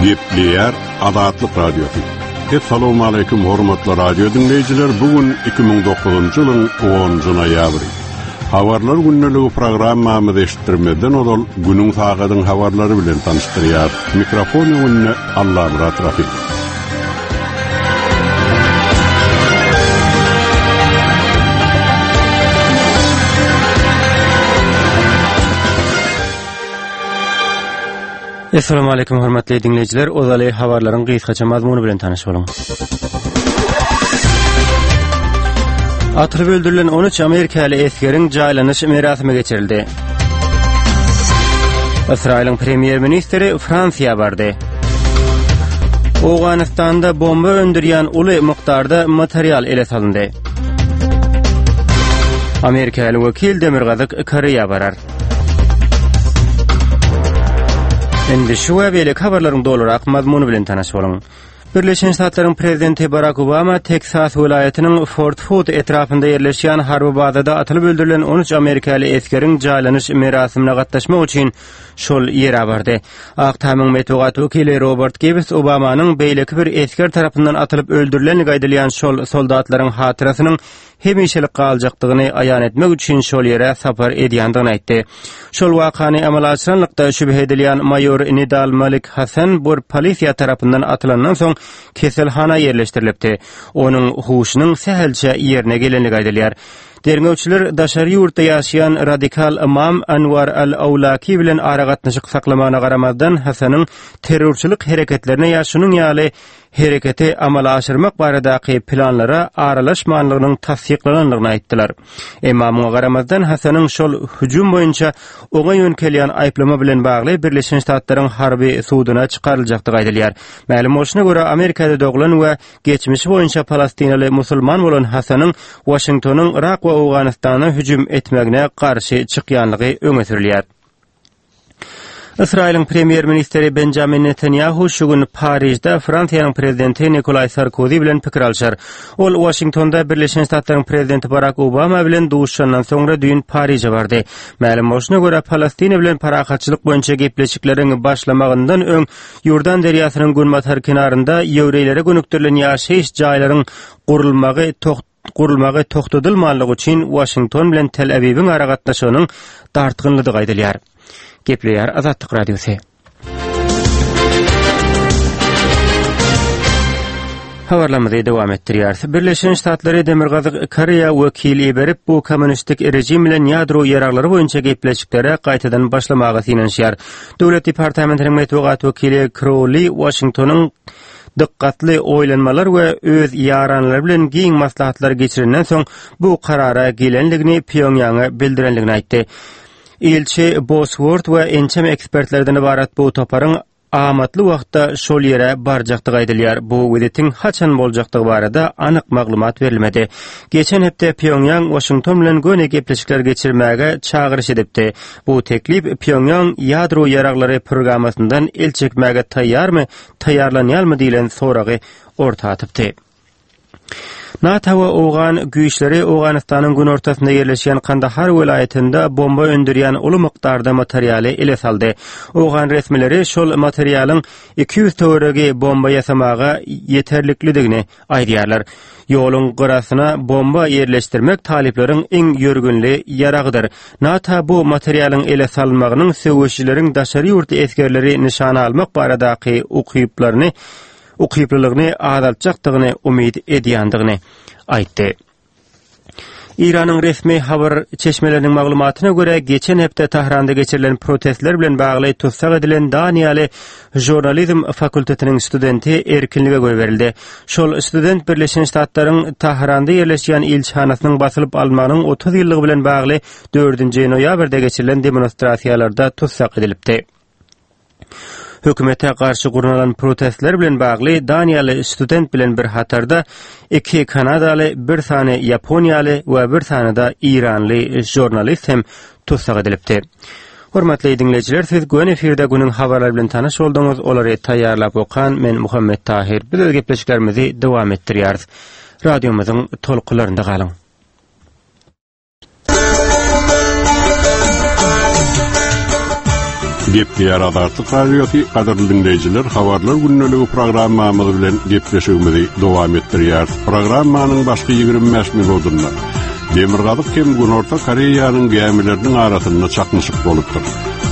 Gepleýär Azatlyk Radiosy. Essalawmaleýkim hormatly radio diňleýjiler. Bu gün 2009-njy ýylyň 10-njy noýabry. Habarlar gündeligi programmamyzy eşitdirmezden ozal günüň sagadyň habarlary bilen tanyşdyrýar. Mikrofon öňünde Allamyrat Rahym. Essalamu aleýkum hormatly diňleýjiler, ozaly habarlaryň gysgaça mazmuny bilen tanyş boluň. Atylyp öldürilen 13 amerikaly esgeriň jaýlanyş merasimi geçirildi. Ysraýylyň premýer-ministri Fransiýa bardy. Owganystanda bomba öndürýän uly mukdarda material ele salyndy. Amerikaly wekil Demirgazyk Koreýa barar. Indi şu we beýleki habarlaryň dolurak mazmuny bilen tanyş boluň. Birleşen Ştatlaryň prezidenti Barak Obama Teksas welaýatynyň Fort Hood etrapynda ýerleşýän harby bazada atylyp öldürilen 13 amerikaly esgeriň jaýlanyş merasimine gatnaşmak üçin şol ýere bardy. Ak Tamyň metbugat wekili Robert Gibbs Obamanyň beýleki bir esger tarapyndan atylyp öldürilenligi aýdylýan şol soldatlaryň hatyrasynyň hemişelik galjakdygyny aýan etmek üçin şol ýere sapar edýändigini aýtdy. Şol wakany amala aşyranlykda şübhe edilýän maýor Nidal Malik Hasan bir polisiýa tarapyndan atylandan soň keselhana ýerleşdirilipdi. Onuň huşunyň sähelçe ýerine gelenligi aýdylýar. Derňewçiler daşary ýurtda ýaşaýan radikal ymam Anwar al-Awlaki bilen aragatnaşyk saklamagyna garamazdan Hasanyň terrorçylyk hereketlerine ýa şunuň ýaly hereketi amala aşyrmak baradaky planlara aralaşmanlygynyň tassyklanandygyny aýtdylar. Emma muňa garamazdan Hasanyň şol hüjüm boýunça oňa ýöňkelýän aýyplama bilen bagly Birleşen Ştatlaryň harby suduna çykaryljakdygy aýdylýar. Mälim bolşuna görä, Amerikada doglan we geçmişi boýunça palestinaly musulman bolan Hasanyň Waşingtonyň Yrak we Owganystana hüjüm etmegine garşy çykýanlygy öňe sürülýär. Ysraýylyň premýer-ministri Benjamin Netanýahu şu gün Parižde Fransiýanyň prezidenti Nikolaý Sarkozi bilen pikir alşar. Ol Waşingtonda Birleşen Ştatlaryň prezidenti Barak Obama bilen duşuşandan soňra düýn Pariže bardy. Mälim bolşuna görä, Palestina bilen parahatçylyk boýunça gepleşikleriň başlamagyndan öň Ýordan derýasynyň günbatar kenarynda ýewreýlere gönükdirilen ýaşaýyş jaýlaryň gurulmagy gurulmagy togtadylmanlygy üçin Waşington bilen Tel-Awiwiň aragatnaşygynyň dartgynlydygy aýdylýar. Gepleýär Azatlyk Radiosy. Habarlarymyzy dowam etdirýäris. Birleşen Ştatlary Demirgazyk Koreýa wekil iberip, bu kommunistik režim bilen ýadro ýaraglary boýunça gepleşiklere gaýtadan başlamaga synanyşýar. Döwlet departamentiniň metbugat wekili Krouli Waşingtonyň dykgatly oýlanmalar we öz ýaranlary bilen giň maslahatlar geçirenden soň bu karara gelendigini Pýongýanga bildirendigini aýtdy. Ilçi Boswort we ençeme ekspertlerden ybarat bu toparyň amatly wagtda şol ýere barjakdygy aýdylýar. Bu wizitiň haçan boljakdygy barada anyk maglumat berilmedi. Geçen hepde Pýongýang Waşington bilen göni gepleşikler geçirmäge çagyryş edipdi. Bu teklip Pýongýang ýadro ýaraglary programmasyndan el çekmäge taýýarmy, taýýarlanýarmy diýlen soragy orta atypdy. NATO we owgan güýçleri Owganystanyň günortasynda ýerleşýän Kandahar welaýatynda bomba öndürýän uly mukdarda materialy ele saldy. Owgan resmileri şol materialyň 200 töweregi bomba ýasamaga ýeterliklidigini aýdýarlar. Ýoluň gyrasyna bomba ýerleşdirmek talyplaryň iň ýörgünli ýaragydyr. NATO bu materialyň ele salynmagynyň söweşijileriň daşary ýurtly esgerleri nyşana almak baradaky ukyplaryny ukyplylygyny azaltjakdygyny umyt edýändigini aýtdy. Eýranyň resmi habar çeşmeleriniň maglumatyna görä, geçen hepde Tahranda geçirilen protestler bilen bagly tussag edilen daniýaly žurnalizm fakultetiniň studenti erkinlige goýberildi. Şol student Birleşen Ştatlaryň Tahranda ýerleşýän ilçihanasynyň basylyp alynmagynyň 30 ýyllygy bilen bagly dördünji noýabrda geçirilen demonstrasiýalarda tussag edilipdi. Hökümete garşy gurnalan protestler bilen bagly daniýaly student bilen bir hatarda iki kanadaly, bir sany ýaponiýaly we bir sany-da eýranly žurnalist hem tussag edilipdi. Hormatly diňleýjiler, siz göni efirde günüň habarlary bilen tanyş bolduňyz. Olary taýýarlap okan men Muhammet Tahyr. Biz öz gepleşiklerimizi dowam etdirýäris. Radiomyzyň tolkunlarynda galyň. Gepleýär Azatlyk Radiosy, gadyrly diňleýjiler, Habarlar gündeligi programmamyz bilen gepleşigimizi dowam etdirýäris. Programmanyň başky 25 minutynda Demirgazyk hem Günorta Koreýanyň gämileriniň arasynda çaknyşyk bolupdyr.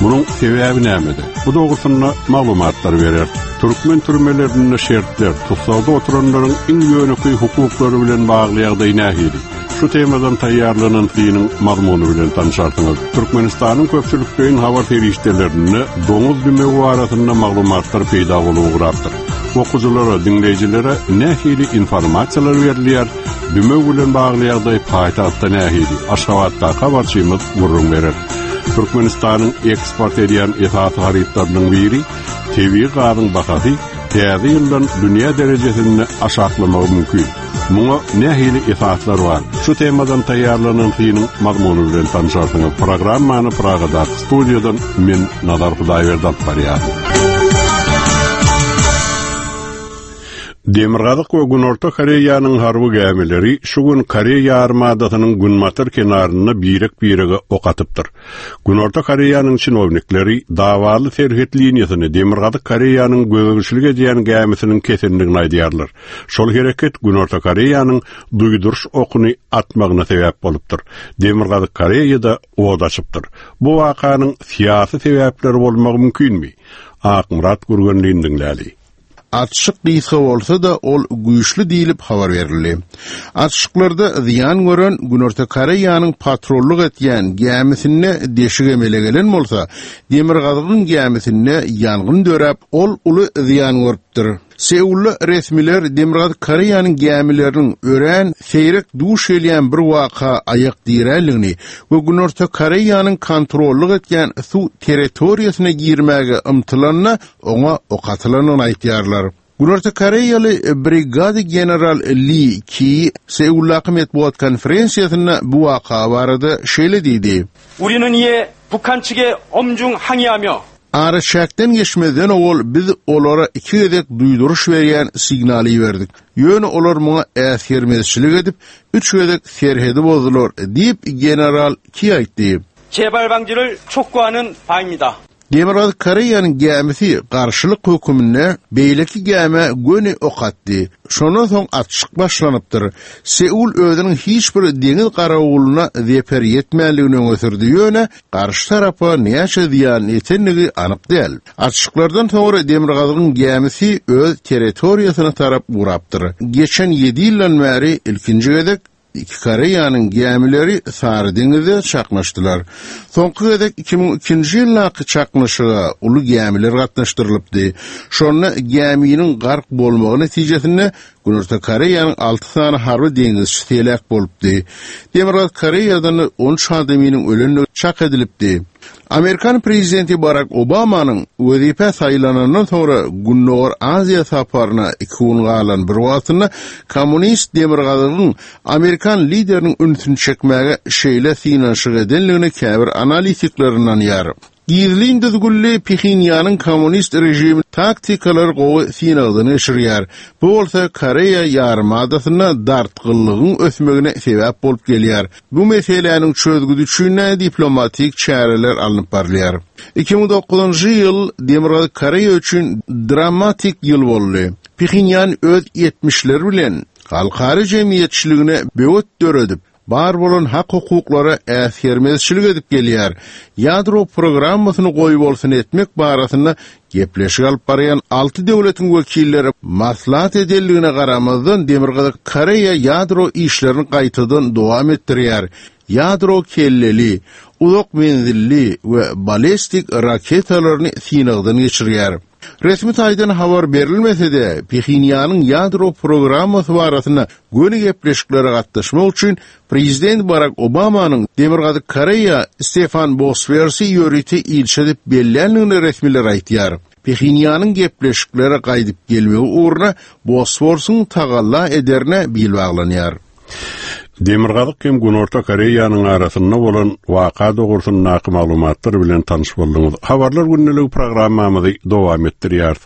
Munuň sebäbi nämede? Bu dogrusynda maglumatlar bereris. Türkmen türmelerinde şertler, tussagda oturanlaryň iň ýönekeý hukuklary bilen bagly ýagdaý nähili? Şu temadan taýýarlanan synyň mazmuny bilen tanşarsyňyz. Türkmenistanyň köpçülikleýin habar serişdelerinde doňuz dümewi barasynda maglumatlar peýda bolup ugrapdyr. Okyjylara, diňleýjilere nähili informasiýalar berilýär? Dümew bilen bagly ýagdaý paýtagtda nähili? Aşgabatdaky habarçymyz gürrüň berer. Türkmenistanyň eksport edýän esasy harytlarynyň biri tebigy gazyň bahasy täze ýyldan dünýä derejesinde aşaklamagy mümkin. Muňa nähili esaslar bar? Şu temadan taýýarlanan synyň mazmuny bilen tanşarsyňyz. Programmany Pragadaky studiýadan men Nazar Hudaýberdi alyp barýaryn. Demirgazyk we Günorta Koreýanyň harby gämileri şu gün Koreý ýarymadasynyň günbatar kenarynda birek-birege ok atypdyr. Günorta Koreýanyň çinownikleri dawaly serhet liniýasyny Demirgazyk Koreýanyň gözegçilik edýän gämisiniň kesendigini aýdýarlar. Şol hereket Günorta Koreýanyň duýduryş okuny atmagyna sebäp bolupdyr. Demirgazyk Koreýa-da ot açypdyr. Bu wakanyň syýasy sebäpleri bolmagy mümkinmi? Akmyrat Gürgenlini diňläli. Atyşyk gysga bolsa-da, ol güýçli diýlip habar berildi. Atyşyklarda zyýan gören Günorta Koreýanyň patrullyk etýän gämisinde deşik emele gelen bolsa, Demirgazygyň gämisinde ýangyn döräp, ol uly zyýan görüpdir. Seulda resmiler Demirgazyk Koreýanyň gämileriniň örän seýrek duş gelýän bir waka aýak diränligini we Günorta Koreýanyň kontrollyk etýän suw territoriýasyna girmäge ymtylanda oňa ok atylandygyny aýdýarlar. Günorta Koreýaly brigada general Li Ki Seuldaky metbugat konferensiýasynda bu waka barada şeýle diýdi. 우리는 이에 북한 측에 엄중 항의하며 Araçäkden geçmezden owal biz olara iki gezek duýduryş berýän signal iberdik. Ýöne olar muňa äsgermezçilik edip, üç gezek serhedi bozdular, diýip, general Ki aýtdy. 재발 방지를 촉구하는 바입니다. Demirgazyk Koreýanyň gämisi garşylyk höküminde beýleki gämä göni ok atdy. Şondan soň atyşyk başlanypdyr. Seul özüniň hiç bir deňiz garawulyna zeper ýetmändigini öňe sürdi, ýöne garşy tarapa näçe zyýan ýetendigi anyk däl. Atyşyklardan soňra Demirgazygyň gämisi öz territoriýasyna tarap ugrapdyr. Geçen ýedi ýyldan bäri ilkinji gezek Iki Koreýanyň gämileri Sary deňizde çaknyşdylar. Soňky gezek 2002-nji ýyldaky çaknyşyga uly gämiler gatnaşdyrylypdy. Şonda gäminiň gark bolmagy netijesinde Günorta Koreýanyň alty sany harby deňizçisi heläk bolupdy. Demirgazyk Koreýadan-da 13 adamynyň ölendigi çak edilipdi. Amerikan prezidenti Barak Obamanyň wezipä saýlanandan soňra Gündogar Aziýa saparyna iki gün galan bir wagtynda kommunist Demirgazygyň amerikan lideriniň ünsüni çekmäge şeýle synanyşyk edenligine käbir analitikler ynanýar. Gizlin düzgünli Phenýanyň kommunist režimi taktikalary gowy synagdan geçirýär. Bu bolsa Koreýa ýarymadasynda dartgynlygyň ösmegine sebäp bolup gelýär. Bu meseläniň çözgüdi üçin diplomatik çäreler alnyp barylýar. 2009-njy ýyl Demirgazyk Koreýa üçin dramatik ýyl boldy. Phenýan öz etmişleri bilen halkara jemgyýetçiligine böwet döredip, bar bolan hak-hukuklara äsgermezçilik edip gelýär. Ýadro programmasyny goýbolsun etmek barasynda Gepleşik alyp barýan alty döwletiň wekilleri maslahat edenligine garamazdan, Demirgazyk Koreýa ýadro işlerini gaýtadan dowam etdirýär, ýadro kelleli, uzak menzilli we balestik raketalaryny synagdan geçirýär. Resmi taýdan habar berilmese-de, Phenýanyň ýadro programmasy barasynda göni gepleşiklere gatnaşmak üçin Prezident Barak Obamanyň Demirgazyk Koreýa Stefan Boswersi ýörite ilçi edip belländigini resmiler aýdýar. Phenýanyň gepleşiklere gaýdyp gelmegi ugruna Bosworsyň tagalla ederine bil baglanýar. Demirgazyk hem Günorta Koreýanyň arasynda bolan waka dogrusyndaky maglumatlar bilen tanyş bolduňyz. Habarlar gündeligi programmamyzy dowam etdirýäris.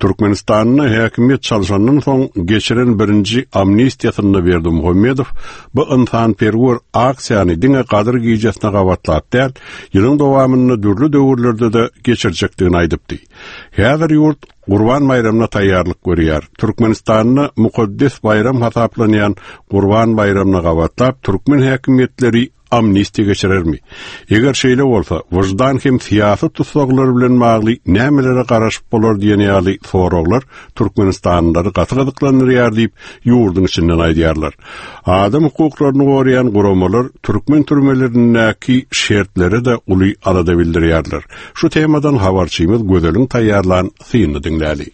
Türkmenistanda häkimiýet çalşandan soň geçiren birinji amnistiýasynda Berdimuhamedow bu ynsanperwer aksiýany diňe Gadyr gijesine gabatlap däl, ýylyň dowamynda dürli döwürlerde-de geçirjekdigini aýdypdy. Häzir ýurt Gurban baýramyna taýýarlyk görýär. Türkmenistanda mukaddes baýram hasaplanýan Gurban baýramyna gabatlap türkmen häkimiýetleri amnistiýa geçirermi? Eger şeýle bolsa, wyždan hem syýasy tussaglar bilen bagly nämelere garaşyp bolar diýen ýaly soraglar türkmenistanlylary gaty gyzyklandyrýar diýip, ýurduň içinden aýdýarlar. Adam hukuklaryny goraýan guramalar türkmen türmelerindäki şertlere-de uly alada bildirýärler. Şu temadan habarçymyz Gözeliň taýýarlan synyny diňläli.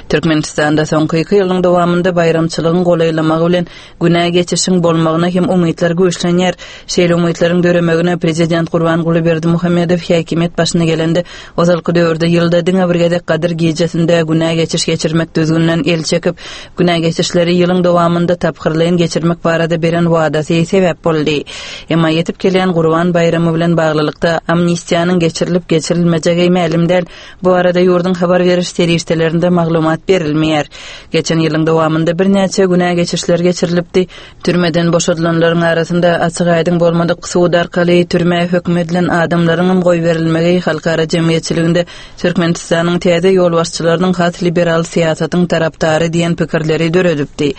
Türkmenistanda soňky iki ýylyň dowamynda baýramçylygyň golaýlamagy bilen günä geçişiň bolmagyna hem umytlar güýçlenýär. Şeýle umytlaryň döremegine prezident Gurbanguly Berdimuhamedow häkimiýet başyna gelende, ozalky döwürde ýylda diňe bir gezek Gadyr gijesinde günä geçiş geçirmek düzgüninden el çekip, Günä geçişleri ýylyň dowamynda tapgyrlaýyn geçirmek barada beren wadasy sebäp boldy. Emma ýetip gelýän Gurban baýramy bilen baglylykda amnistiýanyň geçirilip-geçirilmejegi mälim däl. Bu barada ýurduň habar beriş serişdelerinde maglumat berilmeýär. Geçen ýylyň dowamynda birnäçe günä geçişler geçirilipdi. Türmeden boşadylanlaryň arasynda açyk-aýdyň bolmadyk sud arkaly türmä höküm edilen adamlaryňam goýberilmegi halkara jemgyýetçiliginde Türkmenistanyň täze ýolbaşçylarynyň has liberal syýasatyň tarapdary diýen pikirleri döredipdi.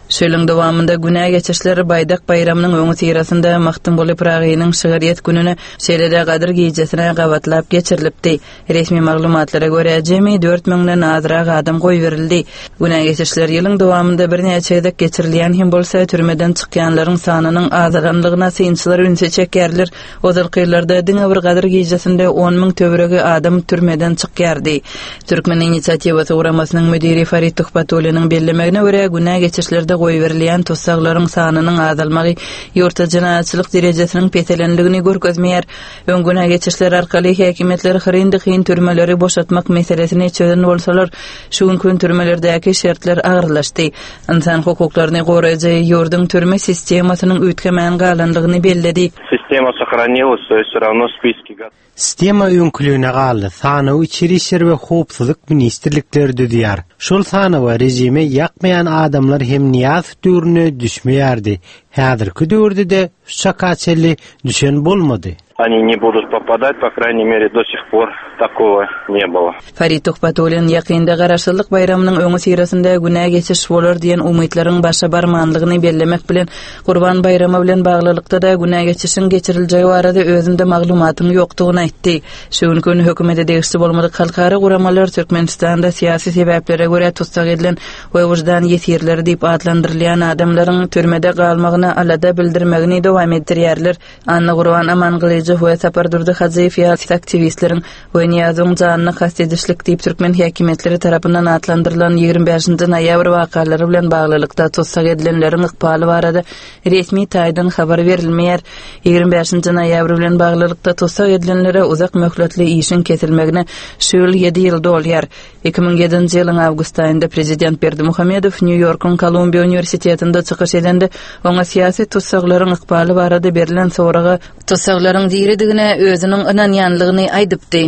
Şu ýylyň dowamynda günä geçişler Baýdak baýramynyň öňüsyrasynda Magtymguly Pyragynyň şygyrýet gününe, şeýle-de Gadyr gijesine gabatlap geçirilipdi. Resmi maglumatlara görä, jemi dört müňden azrak adam goýberildi. Günä geçişler ýylyň dowamynda birnäçe gezek geçirilýän hem bolsa, türmeden çykýanlaryň sanynyň azalanlygyna synçylar ünsi çekýärler. Ozalky ýyllarda diňe bir Gadyr gijesinde on müň töweregi adam türmeden çykýardy. Türkmen inisiatiwasy guramasynyň müdiri Farid Tuhbatulliniň bellemegine görä, günä geçişlerde goýberilýän tussaglaryň sanynyň azalmagy ýurtda jenaýatçylyk derejesiniň peselendigini görkezmeýär. Öň günä geçişler arkaly häkimiýetler hyryn-dykyn türmeleri boşatmak meselesini çözen bolsalar, şu günki gün türmelerdäki şertler agyrlaşdy. Ynsan hukuklaryny goraýjy ýurduň türme sistemasynyň üýtgemän galandygyny belledi. Sistema sahranilась, to ýest wse rawno spiski Sistema öňküligine galdy, sanawy Içeri işler we Howpsuzlyk ministrlikleri düzýär. Şol sanawa režime ýakmaýan adamlar hem Nyýazow döwründe düşmeýärdi. Häzirki döwürde-de şu çaka çenli düşen bolmady. Oni ne budut popadat, po kraýney mere do sih por takogo ne bylo. Farid Tuhbatullin ýakynda Garaşsyzlyk baýramynyň öňüsyrasynda günä geçiş bolar diýen umytlaryň başa barmanlygyny bellemek bilen, Gurban baýramy bilen baglylykda-da günä geçişiň geçiriljegi barada özünde maglumatyň ýokdugyny aýtdy. Şu günki gün hökümete degişli bolmadyk halkara guramalar Türkmenistanda syýasy sebäplere görä tussag edilen we wyždan ýesirleri diýip atlandyrylýan adamlaryň türmede galmagyna alada bildirmegini dowam etdirýärler. Annagurban Amangylyjow we Sapardurdy Hajyýew ýaly aktiwistleriň we Nyýazowyň janyna kast edişlik diýip türkmen häkimiýetleri tarapyndan atlandyrylan 25 noýabr wakalary bilen baglylykda tussag edilenleriň ykbaly barada resmi taýdan habar berilmeýär. 25 noýabr bilen baglylykda tussag edilenlere uzak möhletli işiň kesilmegine şu ýyl ýedi ýyl dolýar. 2007-nji ýylyň awgust aýynda prezident Berdimuhamedow Nýu-Ýorkuň Kolumbiýa uniwersitetinde çykyş edende, oňa syýasy tussaglaryň ykbaly barada berlen soraga tussaglaryň diridigine özüniň ynanýanlygyny aýdypdy.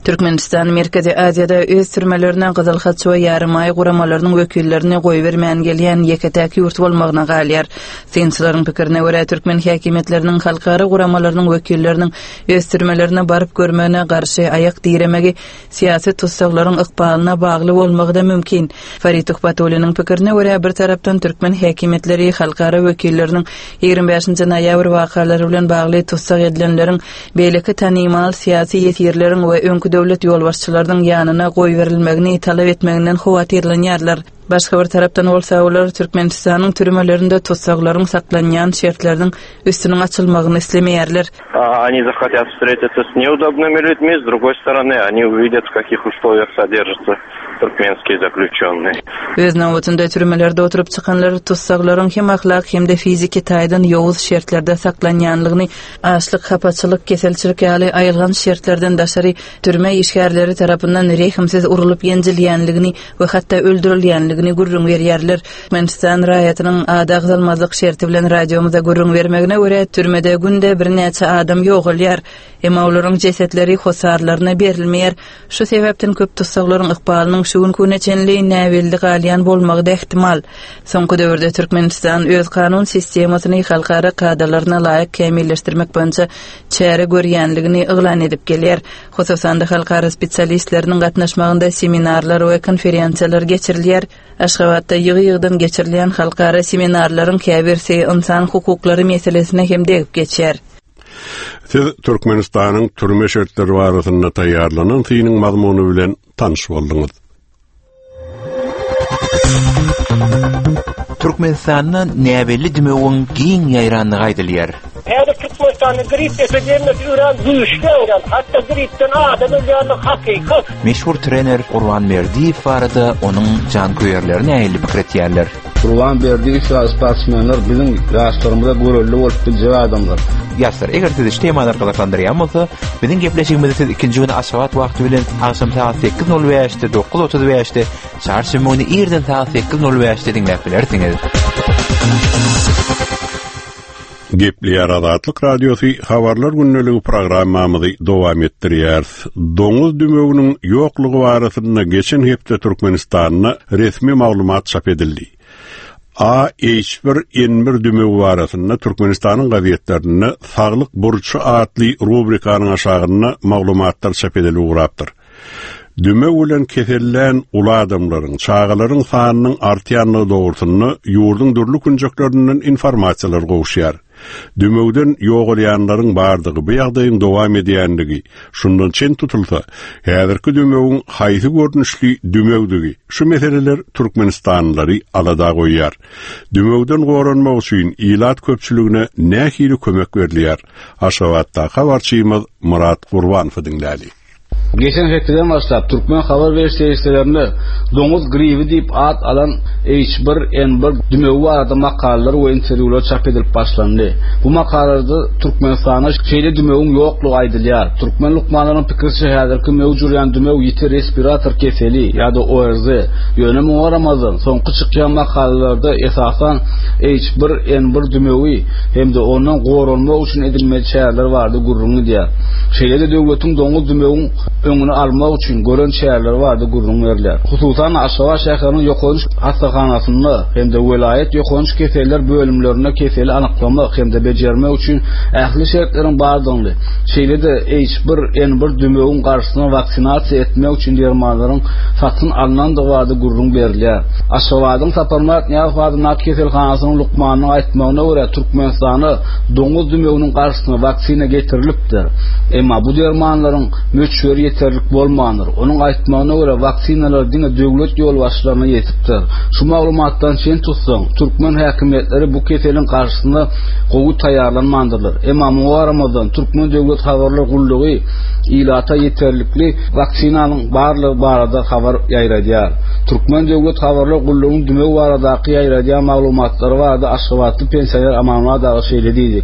Türkmenistan Merkezi Aziýada öz türmelerine Gyzyl Haç we Ýarymaý guramalarynyň wekillerini goýbermän gelýän ýeke-täk ýurt bolmagyna galýar. Synçylaryň pikirine görä, türkmen häkimiýetleriniň halkara guramalarynyň wekilleriniň öz türmelerine baryp görmegine garşy aýak diremegi syýasy tussaglaryň ykbalyna bagly bolmagy-da mümkin. Farid Tuhbatulliniň pikirine görä, bir tarapdan türkmen häkimiýetleri halkara wekilleriniň 25 noýabr wakalary bilen bagly tussag edilenleriň, beýleki tanymal syýasy ýesirleriň we öňki döwlet ýolbaşçylarynyň ýanyna goýberilmegini talap etmeginden howatyrlanýarlar. Başga bir tarapdan bolsa, olar Türkmenistanyň türmelerinde tussaglaryň saklanýan şertleriniň üstüniň açylmagyny islemeýärler. Oni zahotyat wstretitsa s neudobnymi lýudmi, s drugoý storony, oni uwidýat w kakih uslowiýah soderžatsa turkmenskiýe zaklýuçennyý. Öz nobatynda türmelerde oturyp çykanlar tussaglaryň hem ahlak hem-de fiziki taýdan ýowuz şertlerde saklanýanlygyny, açlyk, hapaçylyk, keselçilik ýaly aýylganç şertlerden daşary türme işgärleri tarapyndan rehimsiz urlup-ýenjilýänligini we hatda öldürilýänligini. edilýändigini gürrüň berýärler. Türkmenistan raýatynyň ady agzalmazlyk şerti bilen radiomyza gürrüň bermegine görä, türmede günde birnäçe adam ýogalýar. Emma olaryň jesetleri hossarlaryna berilmeýär. Şu sebäpden köp tussaglaryň ykbalynyň şu günki güne çenli näbelli galýan bolmagy-da ähtimal. Soňky döwürde Türkmenistan öz kanun sistemasyny halkara kadalaryna laýyk kämilleşdirmek boýunça çäre görýänligini yglan edip gelýär. Hususan-da, halkara spesialistleriniň gatnaşmagynda seminarlar we konferensiýalar geçirilýär. Aşgabatda ýygy-ýygydan geçirilýän halkara seminarlaryň käbirsi ynsan hukuklary meselesine hem degip geçýär. Siz Türkmenistanyň türme şertleri barasynda taýýarlanan synyň mazmuny bilen tanyş bolduňyz. Türkmenistanda näbelli dümewiň giň ýaýrandygy aýdylýar. Häzir Türkmenistanda grip epidemiýasy örän güýçli ýaýran, hatda gripden adam ölýändigi hakykat. Meşhur trener Gurban Berdiýew barada onuň janköýerleri nähili pikir etýärler? Gurban Berdiýew ýaly sportsmenler biziň ýaşlarymyza görelde bolup biljek adamlar. Ýaşlar, eger sizi şu temalar gyzyklandyrýan bolsa, biziň gepleşigimizi siz ikinji güni Aşgabat wagty bilen agşam sagat 8:05-de, 9:35-de, çarşenbe güni irden sagat 8:05-de diňläp bilersiňiz. Gepleýär Azatlyk Radiosy Habarlar gündeligi programmamyzy dowam etdirýäris. Doňuz dümewiniň ýoklugy barasynda geçen hepde Türkmenistanda resmi maglumat çap edildi. AH1N1 dümewi barasynda Türkmenistanyň gazetlerinde Saglyk burçy atly rubrikanyň aşagynda maglumatlar çap edilip ugrapdyr. Dümew bilen kesellän uly adamlaryň, çagalaryň sanynyň artýandygy dogrusynda ýurduň dürli künjeklerinden informasiýalar gowuşýar. Dümewden ýogalýanlaryň bardygy, bu ýagdaýyň dowam edýändigi, şundan çen tutulsa, häzirki dümewiň haýsy görnüşli dümewdigi, şu meseleler türkmenistanlylary alada goýýar. Dümewden goranmak üçin ilat köpçüligine nähili kömek berilýär? Aşgabatdaky habarçymyz Myrat Gurbanowy diňläli. Geçen hepdeden başlap, türkmen habar beriş serişdelerinde doňuz gribi diýip at alan H1N1 dümewi barada makalalar we interwýular çap edilip başlandy. Bu makalalarda Türkmenistanda şeýle dümewiň ýoklugy aýdylýar. Türkmen lukmanlarynyň pikiriçe, häzirki möwç urýan dümew ýiti respirator keseli ýa-da ORZ. Ýöne muňa garamazdan, soňky çykýan makalalarda esasan H1N1 dümewi hem-de ondan goranmak üçin edilmeli çäreler barada gürrüň gidýär. Şeýle-de döwletiň doňuz dümewiň öňüni almak üçin gören çäreleri barada gürrüň berilýär. Hususan-da, Aşgabat şäheriniň ýokanç hassahanasynda hem-de welaýat ýokanç keseller bölümlerinde keseli anyklamak hem-de bejermek üçin ähli şertleriň bardygyny, şeýle-de H1N1 dümewiň garşysyna waksinasiýa etmek üçin dermanlaryň satyn alnandygy barada gürrüň berilýär. Aşgabadyň Saparmyrat Nyýazow adyndaky keselhanasynyň lukmanynyň aýtmagyna görä, Türkmenistana doňuz dümewiniň garşysyna waksina getirilipdir. Emma bu dermanlaryň möçberi ýeterlik bolmandyr. Onuň aýtmagyna görä, waksinalar diňe döwlet ýolbaşçylaryna ýetipdir. Şu maglumatdan çen tutsaň, türkmen häkimiýetleri bu keseliň garşysyna gowy taýýarlanmandyrlar. Emma muňa garamazdan, Türkmen döwlet habarlar gullugy ilata ýeterlikli waksinanyň barlygy barada habar ýaýradýar. Türkmen döwlet habarlar gullugynyň dümew baradaky ýaýradýan maglumatlary barada Aşgabatly pensioner Amanmyrat aga şeýle diýdi,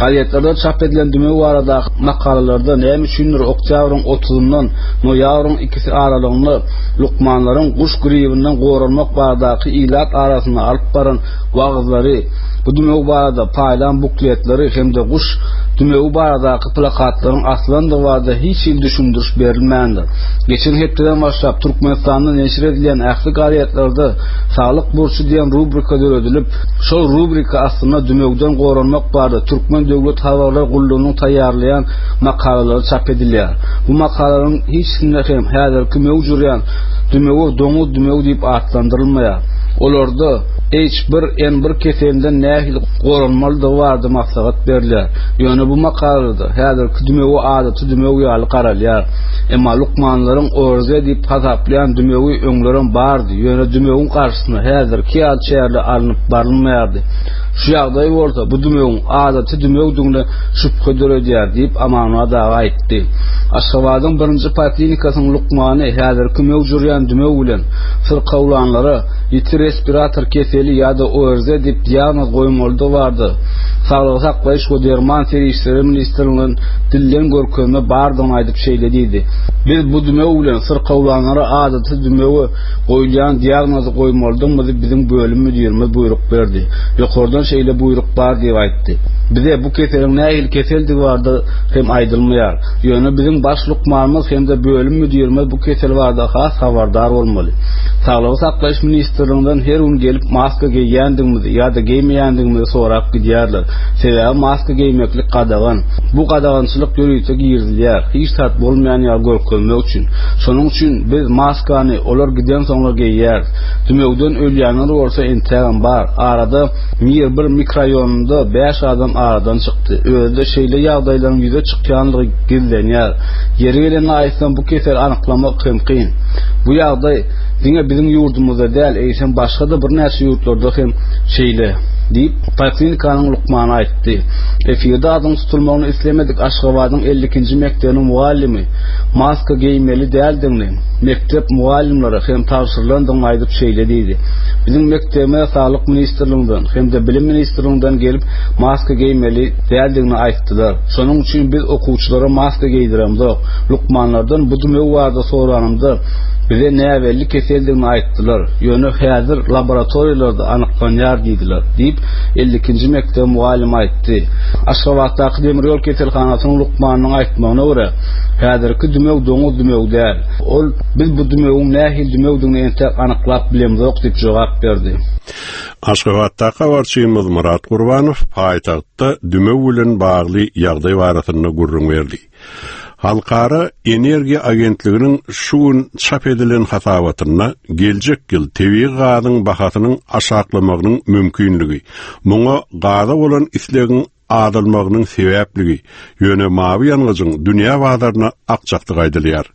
Gazetlerde çap edilen dümew baradaky makalalarda näme üçindir oktýabryň otuzyndan noýabryň ikisi aralygynda lukmanlaryň guş gribinden goranmak baradaky ilat arasynda alyp baran wagyzlary, bu dümew barada paýlan bukletleri hem-de guş dümewi baradaky plakatlaryň asylandygy barada hiç hili düşündiriş berilmändir. Geçen hepdeden başlap Türkmenistanda neşir edilýän ähli gazetlerde Saglyk burçy diýen rubrika döredilip, şol rubrika astynda dümewden goranmak barada Türkmen döwlet habarlar gullugynyň taýýarlaýan makalalary çap edilýär. Bu makalalaryň hiçisinde hem häzirki möwç urýan dümewi doňuz dümewi diýip atlandyrylmaýar. Olarda H1N1 keselinden nähili goranmalydygy barada maslahat berilýär. Ýöne bu makalada häzirki dümewe adaty dümew ýaly garalýar. Emma lukmanlaryň ORZ diýip hasaplaýan dümewi öňlerem bardy, ýöne dümewiň garşysyna häzirki ýaly çäreler alnyp barylmaýardy. Şu ýagdaý bolsa bu dümewiň adaty dümewdigine şübhe döredýär diýip, Amanmyrat aga aýtdy. Aşgabadyň birinji poliklinikasynyň lukmany häzirki möwç urýan dümew bilen syrkawlanlara. Ýiti respirator keseli ýa-da ORZ diýip diagnoz goýmalydygy barada Saglygy saklaýyş we derman serişdeleri ministrliginden dilden görkezme bardygyny aýdyp şeýle diýdi, Biz bu dümew bilen syrkawlanlara adaty dümewe goýulýan diagnozy goýmalydygymyzy biziň bölüm müdirimiz buýruk berdi. Ýokardan şeýle buýruk bar diýip aýtdy. Bize bu keseliň nähili keseldigi barada hem aýdylmaýar. Ýöne biziň baş lukmanymyz hem-de bölüm müdirimiz bu kesel barada has habardar bolmaly. Saglygy saklaýyş ministrliginden her gün gelip maska geýýändigimizi ýa-da geýmeýändigimizi sorap gidýärler. Sebäbi maska geýmeklik gadagan. Bu gadagançylyk ýörite girizilýär, hiç zat bolmaýan ýaly görkezmek üçin. Şonuň üçin biz maskany olar gidensoňlar geýýäris. Dümewden ölýänler bolsa entägem bar. Arada Mir bir mikroraýonynda bäş adam aradan çykdy. Özi-de şeýle ýagdaýlaryň ýüze çykýanlygy gizlenýär. Ýeri gelende aýtsam, bu keseli anyklamak hem kyn. Bu ýagdaý diňe biziň ýurdumyzda däl, eýsem başga-da birnäçe ýurtlarda hem şeýle, diýip, poliklinikanyň lukmany aýtdy. Efirde adynyň tutulmagyny islemedik Aşgabadyň 52-nji mekdebiniň mugallymy maska geýmeli däldigini mekdep mugallymlara hem tabşyrylandygyny aýdyp şeýle diýdi, Biziň mekdebimize Saglyk ministrliginden hem-de Bilim ministrliginden gelip maska geýmeli däldigini aýtdylar. Şonuň üçin biz okuwçylara maska geýdiremzok. Lukmanlardan bu dümew barada soranymda, bize näbelli keseldigini aýtdylar. Ýöne häzir laboratoriýalarda anyklanýar diýdiler, diýip, 52-nji mekdebiň mugallymy aýtdy. Aşgabatdaky demir ýol keselhanasynyň lukmanynyň aýtmagyna görä, häzirki dümew doňuz dümewi däl. Ol, Biz bu dümewiň nähili dümewdigini entek anyklap bilemzok diýip jogap berdi. Aşgabatdaky habarçymyz Myrat Gurbanow paýtagtda dümew bilen bagly ýagdaý barasynda gürrüň berdi. Halkara energiýa agentliginiň şu gün çap edilen hasabatynda geljek ýyl tebigy gazyň bahasynyň aşaklamagynyň mümkinligi, muňa gaza bolan islegiň azalmagynyň sebäpligi, ýöne mawy ýangyjyň dünýä bazaryna akjakdygy aýdylýar.